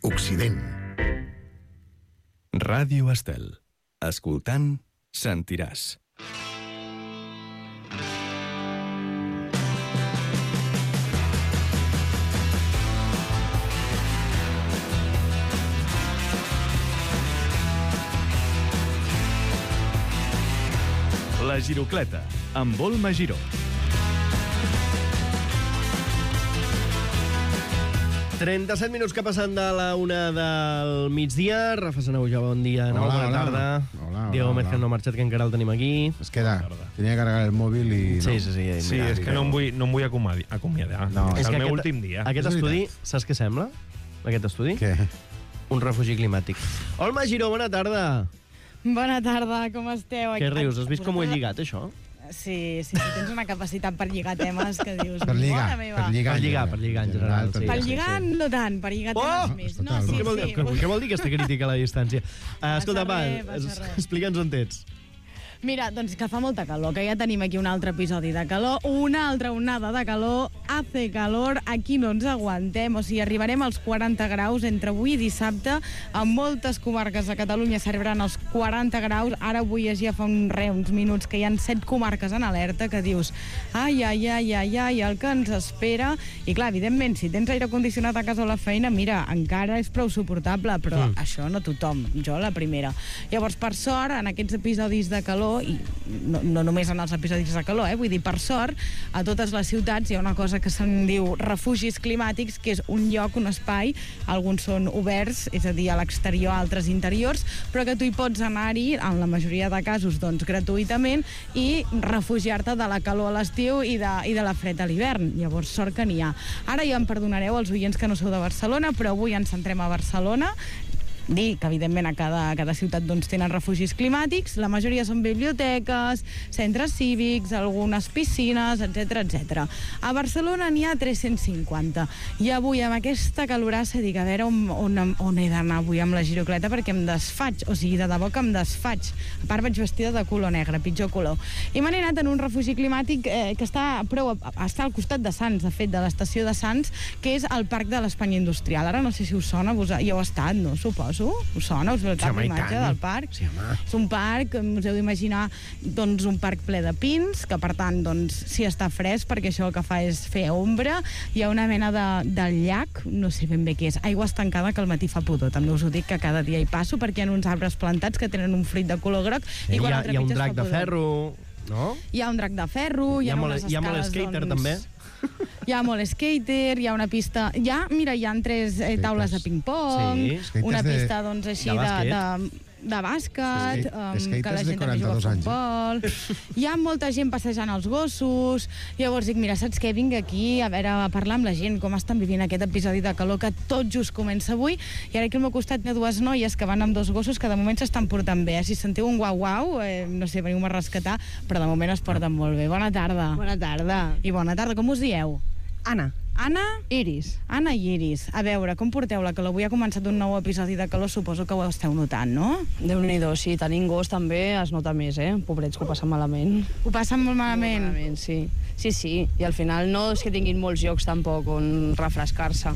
Occident. Ràdio Estel. Escoltant, sentiràs. La Girocleta, amb Volma Giró. trenta-set minuts que passen de la una del migdia. Rafa Sanauja, bon dia. No, Hola, bona hola. tarda. Hola, Diego hola, Mezquez hola. no ha marxat, que encara el tenim aquí. Es queda. Tenia que carregar el mòbil i... No. Sí, sí, sí. Sí, mira, és que no em vull, no em vull acomadi- acomiadar. No, és és el que meu aquest- últim dia. Aquest És estudi, veritat. saps què sembla? Aquest estudi? Què? Un refugi climàtic. Olma Giró, bona tarda. Bona tarda, com esteu? Què rius? Has vist com ho he Vosaltres- lligat, això? Sí, sí, sí, tens una capacitat per lligar temes que dius... Per lligar, Mare meva. per lligar. Per lligar, per lligar, en general, sí. Per lligar, no tant, per lligar Oh! temes més. No, sí, què, vol, sí. què, què vol dir aquesta crítica a la distància? Uh, escolta, va, res, passa res. explica'ns on ets. Mira, doncs que fa molta calor, que ja tenim aquí un altre episodi de calor, una altra onada de calor, hace calor, aquí no ens aguantem, o sigui, arribarem als quaranta graus entre avui i dissabte, en moltes comarques de Catalunya s'arribaran als quaranta graus, ara avui ja fa un, re, uns minuts que hi ha set comarques en alerta, que dius, ai, ai, ai, ai, ai, el que ens espera, i clar, evidentment, si tens aire condicionat a casa o a la feina, mira, encara és prou suportable, però mm. això no tothom, jo la primera. Llavors, per sort, en aquests episodis de calor, i no, no només en els episodis de calor, eh? Vull dir, per sort, a totes les ciutats hi ha una cosa que se'n diu refugis climàtics, que és un lloc, un espai, alguns són oberts, és a dir, a l'exterior, altres interiors, però que tu hi pots anar-hi, en la majoria de casos, doncs, gratuïtament, i refugiar-te de la calor a l'estiu i, de, i de la fred a l'hivern. Llavors, sort que n'hi ha. Ara ja em perdonareu els oients que no sou de Barcelona, però avui ens centrem a Barcelona. Dir que, evidentment, a cada, a cada ciutat doncs, tenen refugis climàtics. La majoria són biblioteques, centres cívics, algunes piscines, etcètera, etcètera. A Barcelona n'hi ha tres-cents cinquanta. I avui, amb aquesta calorassa, dic, a veure on, on, on he d'anar avui amb la girocleta, perquè em desfaig, o sigui, de debò que em desfaig. A part, vaig vestida de color negre, pitjor color. I me n'he anat en un refugi climàtic eh, que està, prou, està al costat de Sants, de fet, de l'estació de Sants, que és el Parc de l'Espanya Industrial. Ara no sé si us sona, vos, ja heu estat, no? Suposo. Us sona? Us veu cap home, i imatge tant. del parc? Sí, home. És un parc, us heu d'imaginar, doncs, un parc ple de pins, que per tant, doncs, sí està fresc, perquè això el que fa és fer ombra. Hi ha una mena de, de llac, no sé ben bé què és, aigua estancada que al matí fa pudor. També us ho dic que cada dia hi passo, perquè hi ha uns arbres plantats que tenen un fruit de color groc. Eh, I hi, quan ha, el hi ha un trepitges drac fa de pudor. ferro, no? Hi ha un drac de ferro, hi, Hi ha ha molt- unes hi ha molt escales, skater, doncs, també? Hi ha molt skater, hi ha una pista... Hi ha, mira, hi ha tres eh, taules de ping-pong, Sí. una Skaters de- pista, doncs, així de de... bàsquet. de de bàsquet, Sí, um, skaters que la de gent també juga a quaranta-dos anys, futbol. Hi ha molta gent passejant els gossos. Llavors dic, mira, saps què? Vinc aquí a veure, a parlar amb la gent, com estan vivint aquest episodi de calor que tot just comença avui. I ara aquí al meu costat hi ha dues noies que van amb dos gossos que de moment s'estan portant bé. Si sentiu un guau-guau, eh, no sé, veniu a rescatar, però de moment es porten molt bé. Bona tarda. Bona tarda. I bona tarda, com us dieu? Anna. Anna? Iris. Anna i Iris. A veure, com porteu la calor? Avui ha començat un nou episodi de calor, suposo que ho esteu notant, no? Déu-n'hi-do, sí, tenint gos també es nota més, eh? Pobrets que ho passen malament. Ho passen molt malament? Molt malament, sí. Sí, sí, i al final no és que tinguin molts llocs tampoc on refrescar-se.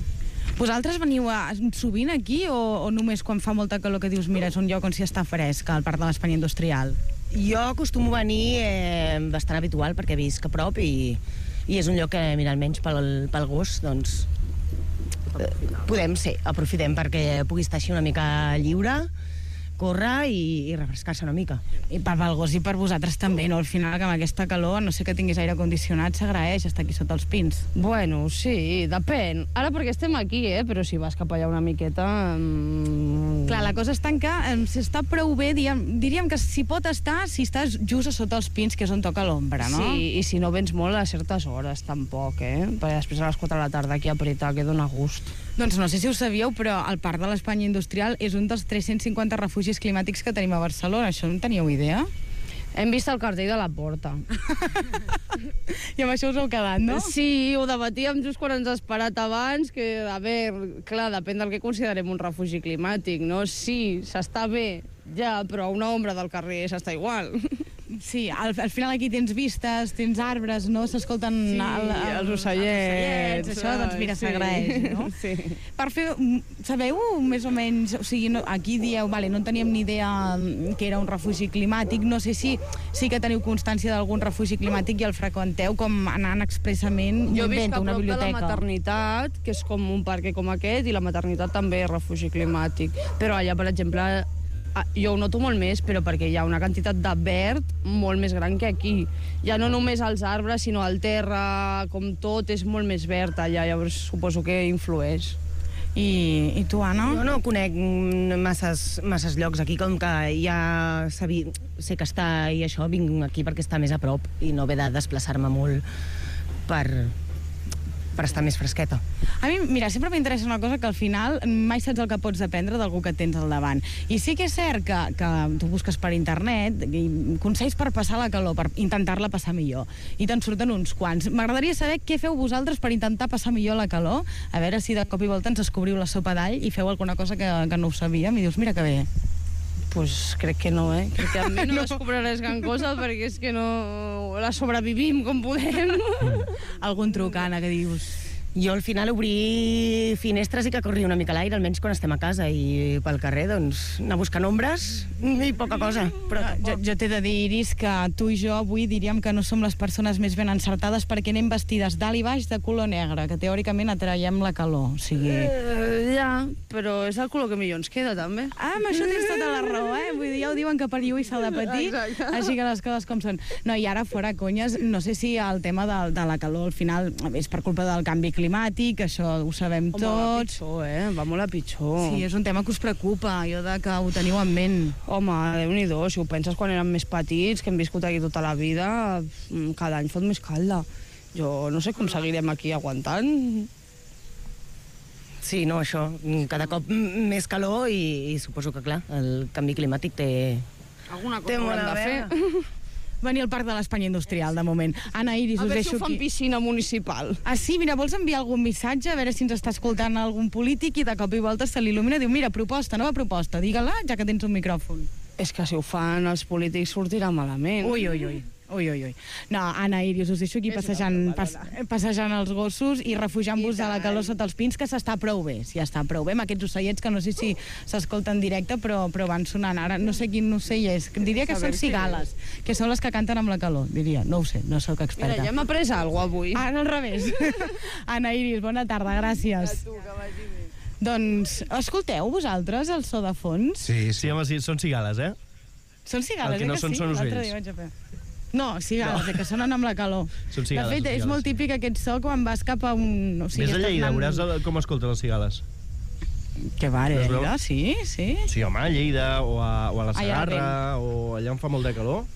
Vosaltres veniu a, sovint aquí o, o només quan fa molta calor que dius mira, és un lloc on s'hi està fresc, al Parc de l'Espanya Industrial? Jo acostumo a venir eh, bastant habitual perquè visc a prop i, i és un lloc que, mira, almenys pel, pel gos, doncs, eh, podem ser, aprofitem perquè pugui estar així una mica lliure, córrer i, i refrescar-se una mica. I per al gos i per vosaltres també, no? Al final, que amb aquesta calor, no sé que tinguis aire condicionat, s'agraeix estar aquí sota els pins. Bueno, sí, depèn. Ara perquè estem aquí, eh? Però si vas cap allà una miqueta... Mmm... Clar, la cosa està en que eh, si està prou bé, diríem, diríem que si pot estar, si estàs just a sota els pins, que és on toca l'ombra, no? Sí, i si no vens molt a certes hores, tampoc, eh? Perquè després a les quatre de la tarda aquí a apretar, que dona gust. Doncs no sé si ho sabíeu, però el Parc de l'Espanya Industrial és un dels tres-cents cinquanta refugis climàtics que tenim a Barcelona. Això no en teníeu idea? Hem vist el cartell de la porta. I amb això us heu quedat, no? Sí, ho debatíem just quan ens ha esperat abans, que, a veure, clar, depèn del que considerem un refugi climàtic, no? Sí, s'està bé, ja, però a una ombra del carrer s'està igual. Sí, al, al final aquí tens vistes, tens arbres, no? S'escolten sí, el, el, els ocellets. Els això, doncs mira, sí. s'agraeix, no? Sí. Per fer, sabeu més o menys, o sigui, no, aquí dieu, vale, no teníem ni idea que era un refugi climàtic, no sé si sí que teniu constància d'algun refugi climàtic i el freqüenteu com anant expressament, jo invento, una biblioteca. Jo visc a prop de la maternitat, que és com un parc com aquest, i la maternitat també és refugi climàtic. Però allà, per exemple, jo ho noto molt més, però perquè hi ha una quantitat de verd molt més gran que aquí. Ja no només els arbres, sinó el terra, com tot, és molt més verd allà, llavors suposo que influeix. I, i tu, Anna? Jo no conec masses, masses llocs aquí, com que ja sabi, sé que està i això, vinc aquí perquè està més a prop i no ve de desplaçar-me molt per... per estar més fresqueta. A mi, mira, sempre m'interessa una cosa que al final mai saps el que pots aprendre d'algú que tens al davant. I sí que és cert que, que tu busques per internet i consells per passar la calor, per intentar-la passar millor. I te'n surten uns quants. M'agradaria saber què feu vosaltres per intentar passar millor la calor, a veure si de cop i volta ens descobriu la sopa d'all i feu alguna cosa que, que no ho sabíem i dius, mira que bé. Pues crec que no, eh? Crec que a mi no, no. descobriràs gran cosa perquè és que no la sobrevivim com podem. Algun truc, Anna, que dius? Jo al final obrir finestres i que corri una mica l'aire, almenys quan estem a casa, i pel carrer, doncs, anar buscant ombres i poca cosa. Però jo, jo t'he de dir, Iris, que tu i jo avui diríem que no som les persones més ben encertades perquè anem vestides dalt i baix de color negre, que teòricament atraiem la calor. O sigui... Eh, ja, però és el color que millor ens queda, també. Ah, amb això tens tota la raó, eh? Vull dir, ja ho diuen que per lluir s'ha de patir, exacte. Així que les coses com són. No, i ara, fora conyes, no sé si el tema de, de la calor al final és per culpa del canvi climàtic, climàtic, això ho sabem Home, tots. Va pitjor, eh? Va molt a pitjor. Sí, és un tema que us preocupa, jo de que ho teniu en ment. Home, Déu-n'hi-do, si ho penses quan érem més petits, que hem viscut aquí tota la vida, cada any fot més calda. Jo no sé com seguirem aquí aguantant. Sí, no, això, cada cop més calor i, i suposo que, clar, el canvi climàtic té... Alguna cosa haurem de fer. Venir al Parc de l'Espanya Industrial, de moment. Anna, Iris, us deixo aquí. A veure si ho fan piscina municipal. Ah, sí? Mira, vols enviar algun missatge, a veure si ens està escoltant algun polític i de cop i volta se l'il·lumina i diu, mira, proposta, nova proposta, digue-la, ja que tens un micròfon. És que si ho fan els polítics sortirà malament. Ui, ui, ui. Ui, ui, ui. No, Anna, Iris, us deixo aquí passejant, pas, passejant els gossos i refugiant-vos de la calor sota els pins, que s'està prou bé, si està prou bé, amb aquests ocellets que no sé si s'escolten en directe, però, però van sonant. Ara no sé quin ocell és, diria que són cigales, que són les que canten amb la calor, diria. No ho sé, no sóc experta. Mira, ja m'ha après alguna cosa avui. Ara al revés. Anna, Iris, bona tarda, gràcies. A tu, que vagi bé. Doncs, escolteu vosaltres el so de fons? Sí, sí, home, sí, són cigales, eh? Són cigales, el que no eh, que són sí? són L'altre ocells. dia vaig a fer. No, cigales, no. Que sonen amb la calor. Són cigales, de fet, són és cigales. molt típic aquest so quan vas cap a un... O sigui, Ves a Lleida, anant... veuràs el- com escolten les cigales. Que va, Les veus? Lleida, sí, sí. Sí, home, a Lleida, o a, o a la Allà al Segarra, o allà on fa molt de calor.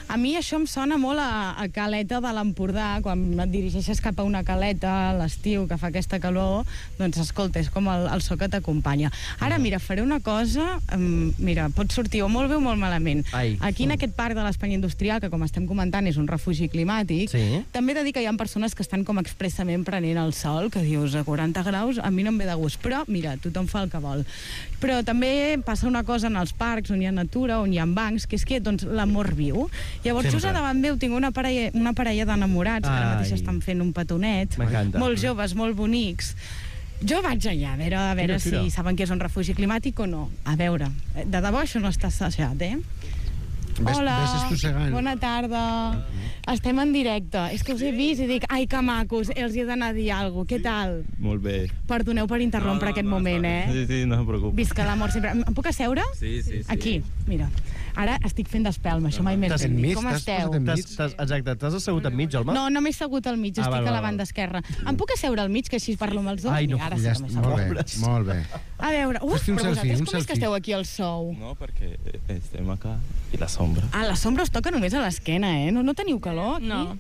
A mi això em sona molt a, a Caleta de l'Empordà, quan et dirigeixes cap a una caleta a l'estiu que fa aquesta calor, doncs escolta, és com el, el so que t'acompanya. Ara, mira, faré una cosa, um, mira, pot sortir o molt bé o molt malament. Ai. Aquí en aquest parc de l'Espanya Industrial, que com estem comentant és un refugi climàtic, Sí. també he de dir que hi ha persones que estan com expressament prenent el sol, que dius a quaranta graus, a mi no em ve de gust, però mira, tothom fa el que vol. Però també passa una cosa en els parcs on hi ha natura, on hi ha bancs, que és que doncs, l'amor viu. Llavors, Sempre. just a davant meu tinc una parella, una parella d'enamorats que ara Ai. mateix estan fent un petonet, M'encanta. molt joves, molt bonics, Jo vaig allà, a veure, a veure Tira, tira. si saben que és un refugi climàtic o no. A veure, de debò això no està assajat, eh? Ves, Hola, ves estossegant. bona tarda. Estem en directe. És que us he vist i dic, ai, que macos, els hi he d'anar a dir alguna cosa. Què tal? Molt bé. Perdoneu per interrompre No, no, aquest no, moment, està eh? bé. Sí, sí, no se preocupi. Visca l'amor sempre. Em puc asseure? Sí, sí, sí. Aquí, mira. Ara estic fent d'espelma, això mai més T'has- ben dit. enmig, Com t'has esteu? posat enmig? T'has- t'has- Exacte, t'has assegut enmig, Olma? No, no m'he assegut al mig, Ah, estic val, a la val, banda esquerra. Em puc asseure al mig, que així parlo amb els dos? Ai, no, Mira, ara Ja sí que està, m'he molt bé, assegut. molt bé. A veure, uf, Fes-te un però selfie, vosaltres un com és que selfie. esteu aquí al sou? No, perquè estem acá i la sombra. Ah, la sombra us toca només a l'esquena, eh? No, no teniu calor aquí? No.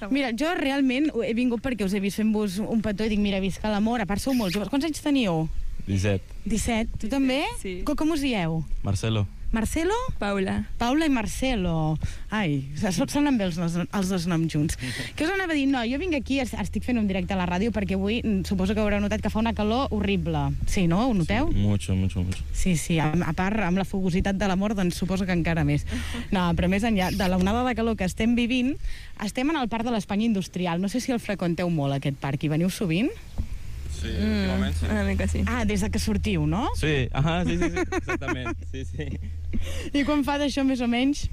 Mira, jo realment he vingut perquè us he vist fent-vos un petó i dic, mira, visca l'amor, a part sou molt joves. Quants anys teniu? disset. disset. Tu també? Sí. Com, com us dieu? Marcelo. Marcelo? Paula. Paula i Marcelo. Ai, sonen bé els, els dos noms junts. Què us anava a dir? No, jo vinc aquí, estic fent un directe a la ràdio perquè avui mm, suposo que haureu notat que fa una calor horrible. Sí, no? Ho noteu? Sí, mucho, mucho, mucho. Sí, sí, a, a part, amb la fogositat de l'amor, doncs suposo que encara més. No, però més enllà de l'onada de calor que estem vivint, estem en el Parc de l'Espanya Industrial. No sé si el freqüenteu molt, aquest parc. Hi veniu sovint? Sí, últimament sí. Una mica sí. Ah, des de que sortiu, no? Sí, ajá, sí, sí, sí, exactament. Sí, sí. I quan fa d'això, més o menys?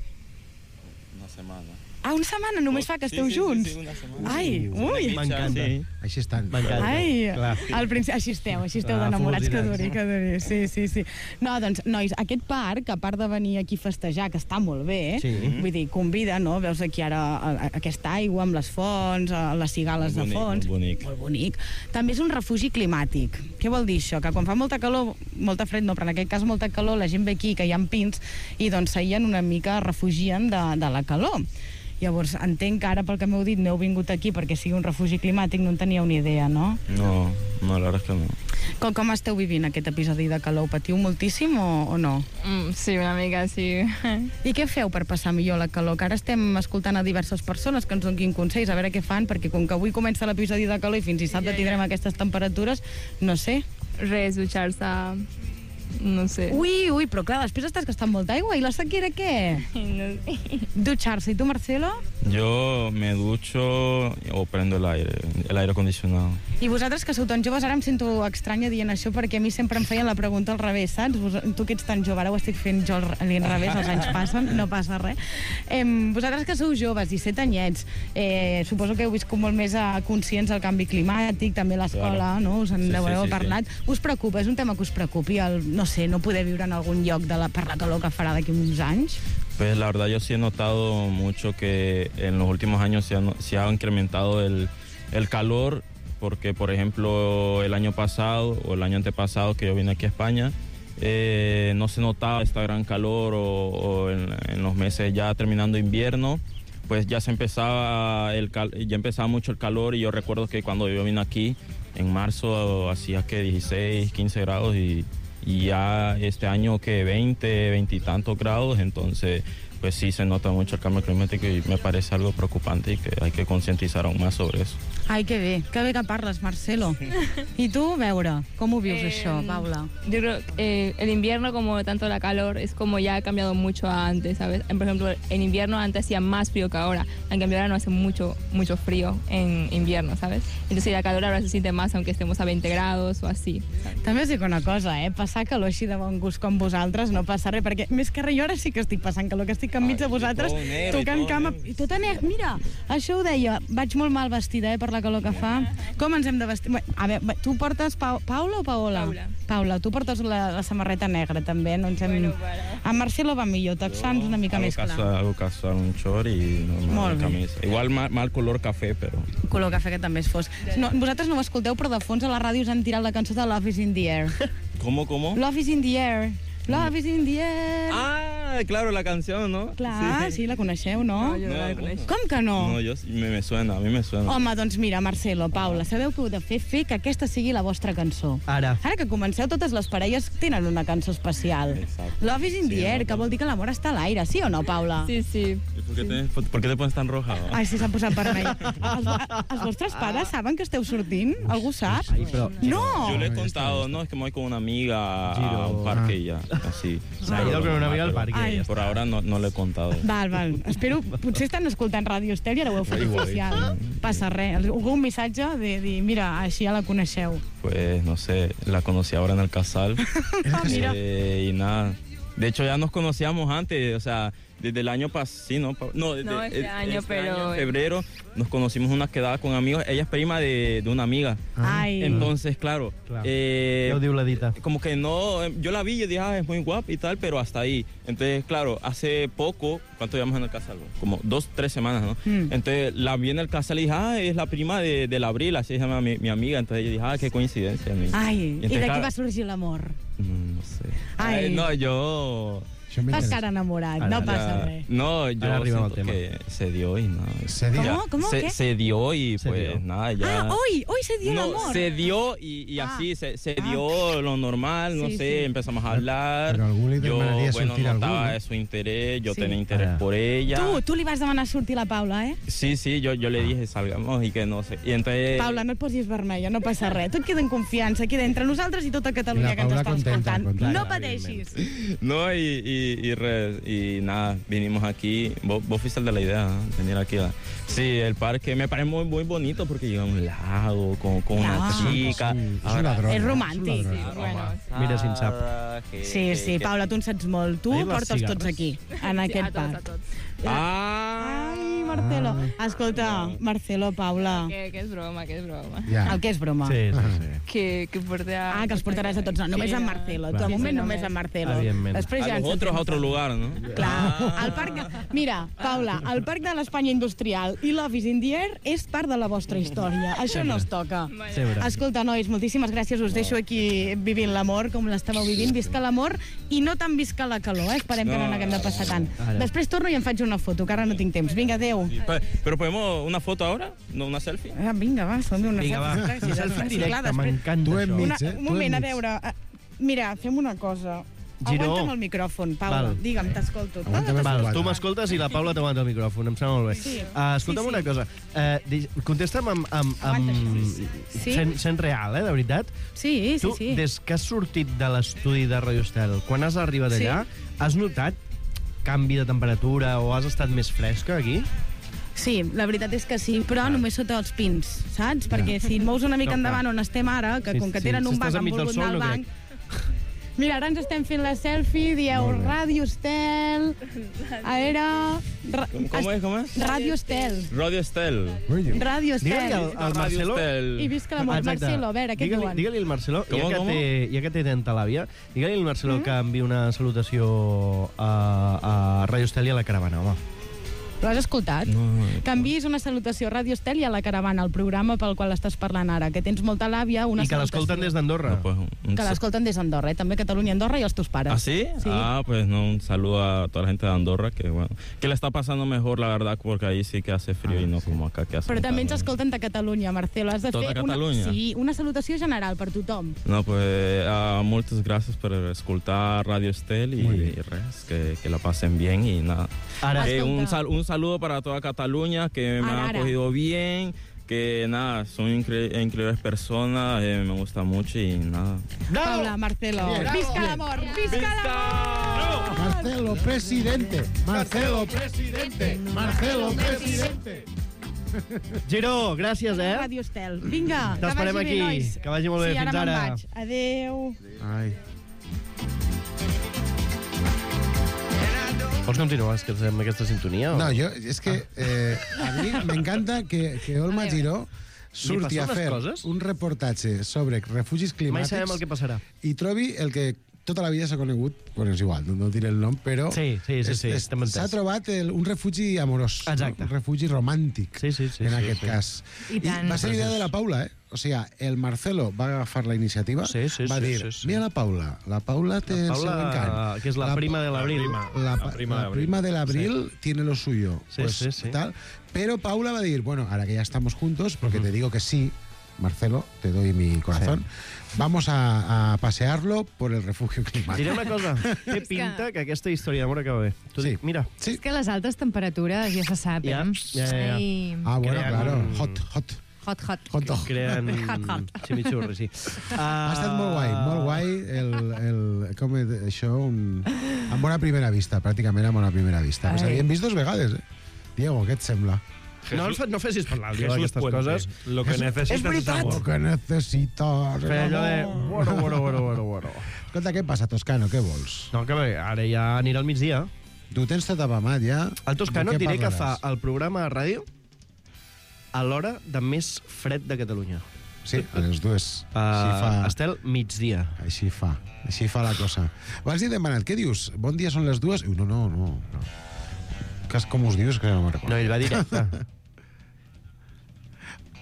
Una setmana. Ah, una setmana només fa que Sí, esteu sí, sí, junts? sí, una setmana. Ai, ui! M'encanta. Sí. Així estan. M'encanta. Ai, Clar. al principi, així esteu, així esteu Clar, d'enamorats, que fogositats. duri, que duri, sí, sí, sí. No, doncs, nois, aquest parc, a part de venir aquí a festejar, que està molt bé, Sí. vull dir, convida, no? Veus aquí ara a- a- aquesta aigua amb les fonts, a- les cigales Molt de bonic, fons. molt bonic. Molt bonic. També és un refugi climàtic. Què vol dir això? Que quan fa molta calor, molta fred no, però en aquest cas molta calor, la gent ve aquí, que hi ha pins, i doncs s'aïllen una mica, refugien de, de la calor. Llavors, entenc que ara, pel que m'heu dit, no heu vingut aquí perquè sigui un refugi climàtic, no en teníeu ni idea, no? No, no, la verdad es que no. Com, com esteu vivint aquest episodi de calor? Ho patiu moltíssim o, o no? Mm, sí, una mica sí. I què feu per passar millor la calor? Que ara estem escoltant a diverses persones que ens donin consells, a veure què fan, perquè com que avui comença l'episodi de calor i fins dissabte tindrem aquestes temperatures, no sé. Res, dutxar-se... No sé. Ui, ui, però clar, després estàs gastant molta aigua, i la sequera què? No sé. Dutxar-se. I tu, Marcelo? Yo me ducho o prendo el aire, el aire acondicionado. I vosaltres, que sou tan joves, ara em sento estranya dient això, perquè a mi sempre em feien la pregunta al revés, saps? Vos, tu que ets tan jove, ara ho estic fent jo al revés, els anys passen, no passa res. Eh, vosaltres que sou joves, disset anyets, eh, suposo que heu viscut molt més a conscients del canvi climàtic, també a l'escola, Claro. no? Us en Sí, sí, sí, heu sí, parlat. sí. Us preocupa? És un tema que us preocupi, el, no sé, no poder viure en algun lloc de la, per la calor que farà d'aquí uns anys? Pues la verdad yo sí he notado mucho que en los últimos años se ha, no- se ha incrementado el, el calor, porque por ejemplo el año pasado o el año antepasado que yo vine aquí a España, eh, no se notaba esta gran calor o, o en, en los meses ya terminando invierno, pues ya se empezaba el cal- ya empezaba mucho el calor, y yo recuerdo que cuando yo vine aquí en marzo hacía que dieciséis, quince grados, y, y ya este año que veinte, veinte y tantos grados, entonces pues sí se nota mucho el cambio climático y me parece algo preocupante y que hay que concientizar aún más sobre eso. Ai, que bé, que bé que parles, Marcelo. I tu, a veure, com ho vius, Eh, això, Paula? Yo creo que eh, el invierno, como tanto la calor, es como ya ha cambiado mucho a antes, ¿sabes? Por ejemplo, en invierno antes hacía más frío que ahora. En cambio, ahora no hace mucho, mucho frío en invierno, ¿sabes? Entonces la calor ahora se siente más aunque estemos a veinte grados o así. També us dic una cosa, eh? Passar calor així de bon gust com vosaltres no passa res, perquè més que res jo ara sí que estic passant calor, que estic enmig de vosaltres, tot negre, tocant i tot cama, negre. i tota negra. Mira, això ho deia, vaig molt mal vestida, eh, per la calor que fa. Com ens hem de vestir? Bé, a veure, tu portes pa Paula o Paola? Paula. Paula, tu portes la, la samarreta negra, també, no ens hem... Bueno, para. A Marcelo va millor, texans una mica Hago més clar. casual, hago casual, un short y normal Molt la bé. camisa. Igual mal, mal color café, pero... Color cafè que també és fosc. No, vosaltres no ho escolteu, però de fons a la ràdio us han tirat la cançó de Love is in the air. ¿Cómo, cómo? Love is in the air. Love is in the air. Ah, claro, la canción, ¿no? Clar, sí, la coneixeu, no? No, jo no, No, la no. coneixo. Com que no? No, yo sí, me, me suena, a mí me suena. Home, doncs mira, Marcelo, Paula, sabeu què heu de fer? Fer que aquesta sigui la vostra cançó. Ara. Ara que comenceu, totes les parelles tenen una cançó especial. Exacte. Love is in Sí, the air, no, que vol dir que l'amor està a l'aire, sí o no, Paula? Sí, sí. ¿Y ¿Por qué, te, por, por qué te pones tan roja? Ai, sí, s'ha posat vermell. Els, els vostres pares saben que esteu sortint? Algú sap? Ai, però... No! Yo le he contado, no, es que me voy con una amiga a Giro. un parque y ya, así. S'ha ido con una amiga al parque. Ai. Por ahora no, no le he contado. Val, val. Espero, potser estan escoltant Ràdio Estel i ara ho heu fet Igual, oficial. Passa res. Algun missatge de dir, mira, així ja la coneixeu. Pues no sé, la conocí ahora en el Casal. Ah, mira. Eh, y nada. De hecho, ya nos conocíamos antes, o sea, desde el año pasado, sí, ¿no? No, desde No, este eh, año, este pero- año, en febrero, nos conocimos una quedada con amigos. Ella es prima de, de una amiga. Ai. Entonces, claro, Claro. eh, Ja ho diu la dita. como que no, eh, yo la vi y dije, ah, es muy guapa y tal, pero hasta ahí. Entonces, claro, hace poco, ¿cuánto llevamos en el casal? Como dos, tres semanas, ¿no? Mm. Entonces, la vi en el casal y dije, ah, es la prima de, del Abril, así se llama mi, mi amiga. Entonces, yo dije, ah, qué coincidencia. mi- Ai, Y i entonces, d'aquí claro, va sorgir l'amor. mm, no sé. Ai. Ay, no, yo... Fas cara enamorat, no Ya- passa res. No, yo Ahora arriba siento al tema. que se dio y nada. Se dio. Ya, ¿Cómo? ¿Cómo? Se, ¿Qué? se dio y Se pues dio. nada, ya... Ah, hoy, hoy se dio el No, amor. se dio y, y Ah. así, se, se Ah. dio lo normal, no Sí, sé, sí. empezamos a hablar. Pero algún le yo, demandaría bueno, sortir a algún, notaba ¿no? su interés, yo Sí. tenía interés Ah. por ella. Tu, tu li vas demanar sortir a la Paula, eh? Sí, sí, yo, yo le dije, salgamos y que no sé. Y entonces... Paula, no et posis vermella, no passa res. Tot queda en confiança, queda entre nosaltres i tota Catalunya I la que ens Paula està contenta, escoltant. contenta, No pateixis. No, y, y, y, re- y nada, vinimos aquí. Vos, vos fuiste el de la idea, ¿no? Venir aquí. a- Sí, el parque me parece muy, muy bonito porque llega a un lago con, con una Ah. chica. Sí, és un ladrón. És eh? romàntic. És un Sí, ladrón. bueno, Mira si en sap. Que- Sí, sí, que- Paula, tu en saps molt. Tu Ahir les portes tots cigarres. aquí, en sí, aquest a tots, a parc. tots. Ah! Ai, Marcelo. Escolta, Marcelo, Paula, Que, que és broma, que és broma. Ja. el que és broma. Sí, sí, sí. Que, que porta... Ah, que els portaràs a tots. No, només en Marcelo. Tu, de Va. moment, Sí, només en només. Marcelo. Evidentment. Després ja A ens los otros a otro sentim. lugar, ¿no? Clar, el parc de... Mira, Paula, el parc de l'Espanya Industrial i l'Office in the Air és part de la vostra història. Això no es toca. Sempre. Escolta, nois, moltíssimes gràcies. Us deixo aquí vivint l'amor, com l'estàveu vivint. Visca l'amor i no tan visca la calor, eh? Esperem que no No. n'haguem de passar tant. Ara. Després torno i em faig una foto, que ara no tinc temps. Vinga, adeu. Pe- Pero podemos una foto ahora, no una selfie. Ah, vinga, va, som una Vinga, va. selfie. Un selfie en Sí, clar, directe, després- m'encanta Tu en això. mig, Una, eh? un Tu moment, a enmig. veure... eh, Mira, fem una cosa. Giró. Aguanta'm el micròfon, Paula. Val. Digue'm, t'escolto. Aguanta'm el Val, Quatre. tu m'escoltes i la Paula t'aguanta el micròfon, em sembla molt bé. Sí. Uh, escolta'm Sí, sí. una cosa, uh, di- contesta'm amb, amb, Aguanta, amb sí, sí. Sí? sent, sent real, eh, de veritat. Sí, sí, Tu, sí. des que has sortit de l'estudi de Radio Estel, quan has arribat Sí. allà, has notat canvi de temperatura o has estat més fresca aquí? Sí, la veritat és que sí, però només sota els pins, saps? Perquè si et mous una mica No, endavant clar. on estem ara, que Sí, com que sí, tenen si un estàs banc, han enmig del volgut sol, anar al no banc... Mira, ara ens estem fent la selfie, dieu Molt bé. Ràdio Estel... A veure... Ra... ¿Cómo, cómo es? ¿Cómo es? Ràdio Estel. Radio Estel. Muy bien. Ràdio Digue-li Estel. al, al Radio Marcelo... Estel. I visca l'amor. Exacte. Marcelo, a veure, què et Digue-li- diuen? Digue-li al Marcelo, ja Com, que, com? té, ja que té tanta làbia, digue-li al Marcelo Mm. que enviï una salutació a, a Radio Estel i a la caravana, home. L'has escoltat? No, no, no. Que enviïs una salutació a Ràdio Estel i a la caravana, el programa pel qual estàs parlant ara, que tens molta làbia, una I que salutació. l'escolten des d'Andorra. No, pues, un- un Que sa- l'escolten des d'Andorra, eh? També Catalunya, Andorra i els teus pares. ¿Ah, sí? Sí. Ah, pues no, un saludo a toda la gente de Andorra, que bueno, que le está pasando mejor, la verdad, porque ahí sí que hace frío y no como acá que hace Però també ens calor. escolten de Catalunya, Marcelo. Has de Tota fer Catalunya? Una, sí, una salutació general per tothom. No, pues uh, muchas gracias por escuchar Radio Estel y, y res, que, que la pasen bien y nada. Ara, Que un, Escolta. sal- un saludo para toda Cataluña, que me Ara, han ara. acogido bien, que nada, son incre- increíbles personas, eh, me gusta mucho y nada. Paula, Marcelo. Bien. Visca l'amor! Visca l'amor! Marcelo, presidente. Marcelo, presidente. Marcelo, presidente. Giró, gràcies, eh? Ràdio Estel. Vinga, que T'esperem vagi aquí. bé, nois. Que vagi molt bé. Sí, Fins ara me'n ara. vaig. Adéu. Ai. Vols continuar és que amb aquesta sintonia? O? No, yo, es que eh, a mí me encanta que, que Olma Giró surti a passen les fer coses? un reportatge sobre refugis Mai climàtics sabem el que passarà. i trobi el que tota la vida s'ha conegut, bueno, és igual, no, no diré el nom, però Sí, sí, sí, sí, estem entès. s'ha trobat el, un refugi amorós, Exacte. un refugi romàntic, Sí, sí, sí, en sí, aquest sí. cas. I tant. va ser idea de la Paula, eh? O sigui, el Marcelo va agafar la iniciativa, Sí, sí, va sí, dir, sí, sí. mira la Paula, la Paula té La el seu Paula, encant. que és la prima de l'Abril. La, La prima la de prima de l'abril tiene lo suyo. Sí, pues, sí, sí. Tal. Pero Paula va a decir, bueno, ahora que ya estamos juntos, porque te digo que sí, Marcelo, te doy mi corazón, vamos a, a pasearlo por el refugio climático. Diré una cosa, té pinta que aquesta història d'amor acaba bé. Tu Sí. dic, mira, Sí. És que les altes temperatures ja se sap, eh? Ja, ja, ja, ja. Ai, Ah, bueno, Crean claro. un- Hot, hot. hot, hot. Hot dog. creen Hot, hot. chimichurri, sí. Ha estat molt guai, molt guai el, el, com és això, un, Amb bona primera vista, pràcticament amb bona primera vista. Ens havíem vist dos vegades, eh? Diego, què et sembla? No, el fa- no fessis parlar, Diego, Jesús d'aquestes Puente. coses. Lo que És- necesitas és veritat. es amor. Lo que necesitas Feia allò de... Bueno, bueno, bueno, bueno, bueno. Escolta, què passa, Toscano? Què vols? No, que bé, ara ja anirà al migdia. Tu tens tot apamat, ja? El Toscano De et què diré que fa parlaràs? el programa de ràdio a l'hora de més fred de Catalunya. Sí, a les dues. Uh, Així fa... Estel, migdia. Així fa, així fa la cosa. Abans he demanat, què dius? Bon dia són les dues? Ui, no, no, no. no. Cas, com us dius? Que no me'n recordo. No, ell va directe.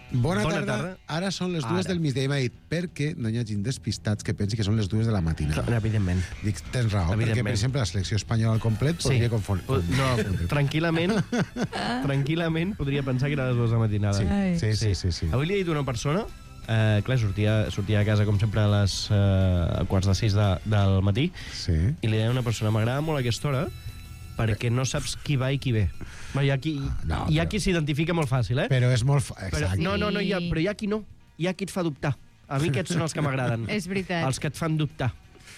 Bona, Bona tarda. tarda. Ara són les dues Ara. del migdia i m'ha dit perquè no hi hagin despistats que pensi que són les dues de la matinada. Evidentment. Dic, tens raó, perquè, per Evidentment. exemple, la selecció espanyola al complet podria confondre. No, tranquil·lament, tranquil·lament podria pensar que era les dues de la matinada. Sí, sí, sí, sí, sí. Avui li he dit a una persona, eh, clar, sortia, sortia a casa com sempre a les eh, quarts de sis de, del matí, sí. i li deia a una persona, m'agrada molt aquesta hora, perquè no saps qui va i qui ve. Bueno, hi ha qui, no, hi ha però- qui s'identifica molt fàcil, eh? Però és molt... fa- Però, Exacte. no, no, no, hi ha, però hi ha qui no. Hi ha qui et fa dubtar. A mi aquests són els que m'agraden. És veritat. Els que et fan dubtar.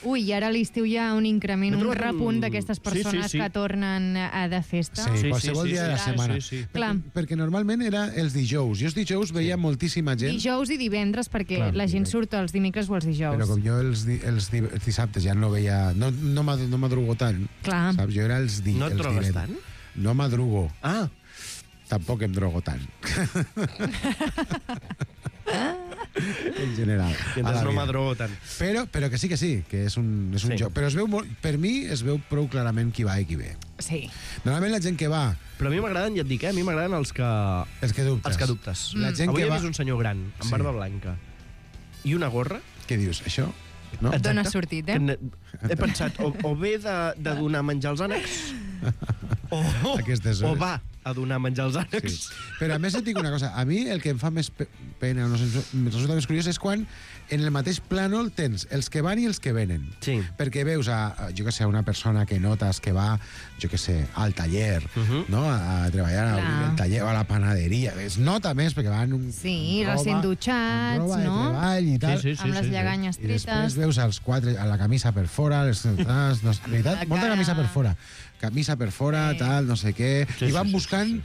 Ui, i ara a l'estiu hi ha un increment, He un trobat un- repunt d'aquestes Sí, persones sí, sí. que tornen a de festa. Sí, qualsevol dia de la setmana. sí, sí. Clar. Perquè, perquè normalment era els dijous. Jo els dijous veia moltíssima gent, Dijous i divendres, perquè Clar, la gent surt els dimecres o els dijous. però com jo els, di- els, di- els dissabtes ja no veia... No, no, m'ad- no madrugo tant, Clar. saps? Jo era els, di, No et els drogues divendres. No madrugo. Ah. Tampoc em drogo tant. en general. I a la entonces no vida. m'adrogo tant. Però, però que sí que sí, que és un, és un Sí. joc. Però es veu molt, per mi es veu prou clarament qui va i qui ve. Sí. Normalment la gent que va... Però a mi m'agraden, ja et dic, eh? A mi m'agraden els que... Els que dubtes. Els que dubtes. La gent Avui que he va... vist un senyor gran, amb Sí. barba blanca, i una gorra. Què dius, això? No? Et dona sortit, eh? Que ne- He pensat, o, o ve de, de donar menjar als ànecs, o, Aquestes o hores. va a donar menjar als ànecs. Sí. Però a més et dic una cosa, a mi el que em fa més pe- pena, no sé, em resulta més curiós, és quan en el mateix plànol tens els que van i els que venen. Sí. Perquè veus a, a, jo que sé, a una persona que notes que va, jo que sé, al taller, uh -huh. no? a, a treballar a Clar. al taller o a la panaderia. Es nota més perquè van un, Sí, amb recient amb dutxats, roba de no? treball i tal. Sí, sí, Amb les lleganyes I després tretes. veus els quatre, a la camisa per fora, les, les, les, veritat, molta cara. camisa per fora. Camisa per fora, tal, no sé què. Sí, I van sí, sí, buscant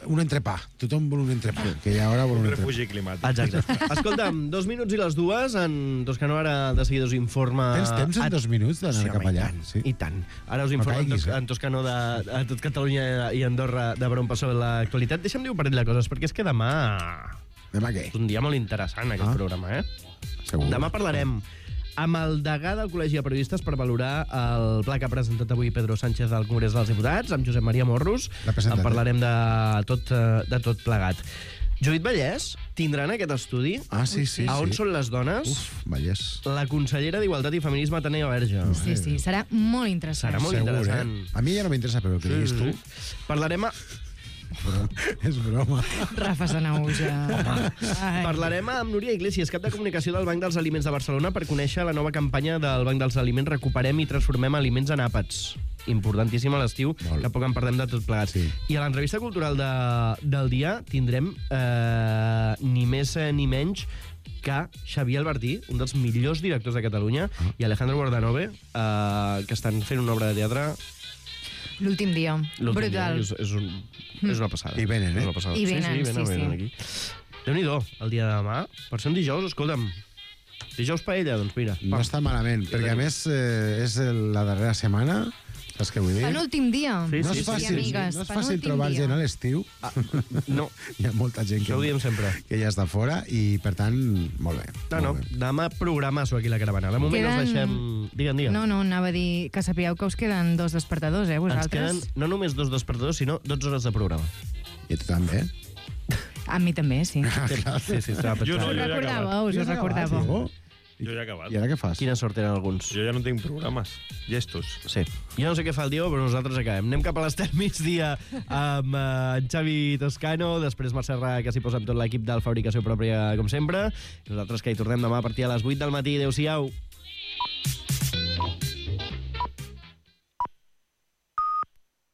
un entrepà. Tothom vol un entrepà, que ja ara vol un Un entrepà. refugi climàtic. Exacte. Escolta'm, dos minuts i les dues, en Toscano ara de seguida us informa... Tens temps en a- dos minuts d'anar sí, cap home, allà? I tant, Sí. i tant. Ara us No informa en, caiguis, Tos eh? en Toscano de, de tot Catalunya i Andorra de per on passa l'actualitat. Deixa'm dir un parell de coses, perquè és que demà Demà què? és un dia molt interessant, aquest Ah. programa, eh? Segur. Demà parlarem amb el degà del Col·legi de Periodistes per valorar el pla que ha presentat avui Pedro Sánchez al Congrés dels Diputats, amb Josep Maria Morros. L'ha presentat, En parlarem de tot, eh, de tot plegat. Judit Vallès tindran aquest estudi Ah, sí, sí. a on sí. són les dones Uf, Vallès. la consellera d'Igualtat i Feminisme, Tània Verge. Sí, sí, serà molt interessant. Serà molt Segur, interessant. eh? A mi ja no m'interessa, però el que diguis tu... Parlarem, a, Però és broma. Rafa Sanauja. Ai. parlarem amb Núria Iglesias, cap de comunicació del Banc dels Aliments de Barcelona, per conèixer la nova campanya del Banc dels Aliments Recuperem i transformem aliments en àpats. Importantíssim a l'estiu, Molt. que poc en parlem de tot plegat. Sí. I a l'entrevista cultural de, del dia tindrem eh, ni més eh, ni menys que Xavier Albertí, un dels millors directors de Catalunya, Ah. i Alejandro Guardanove, eh, que estan fent una obra de teatre L'últim dia. l'últim Brutal. dia. És, és, un, és una passada. I venen, eh? És una passada. I venen, sí, sí, venen, sí, venen sí. aquí. Déu-n'hi-do, el dia de demà. Per ser un dijous, escolta'm, dijous paella, doncs mira. No està malament, perquè a més eh, és el- la darrera setmana, saps què vull dir? Penúltim dia. Sí, No sí, és sí, fàcil, amigues, no és fàcil penúltim trobar dia. gent a l'estiu. No, Hi ha molta gent això ho que, diem sempre. que ja està fora i, per tant, molt bé. No, no, molt bé. demà programasso aquí a la caravana. De moment Queden- els deixem... Digue'm, digue'm. No, no, anava a dir que sapigueu que us queden dos despertadors, eh, Ens vosaltres? queden no només dos despertadors, sinó dotze hores de programa. I tu també? A mi també, sí. Sí, sí, estava Jo no, Us jo ja he acabat. recordàveu, us Ja ho has acabat, recordàveu. Diego? Jo ja he acabat. I ara què fas? Quina sort tenen alguns. Jo ja no tinc programes. Gestos. Sí. Jo no sé què fa el Diego, però nosaltres acabem. Anem cap a l'Estel migdia amb eh, en Xavi Toscano, després Mercè Serra, que s'hi posa amb tot l'equip del Fabricació Pròpia, com sempre. I nosaltres que hi tornem demà a partir de les vuit del matí. Adéu-siau.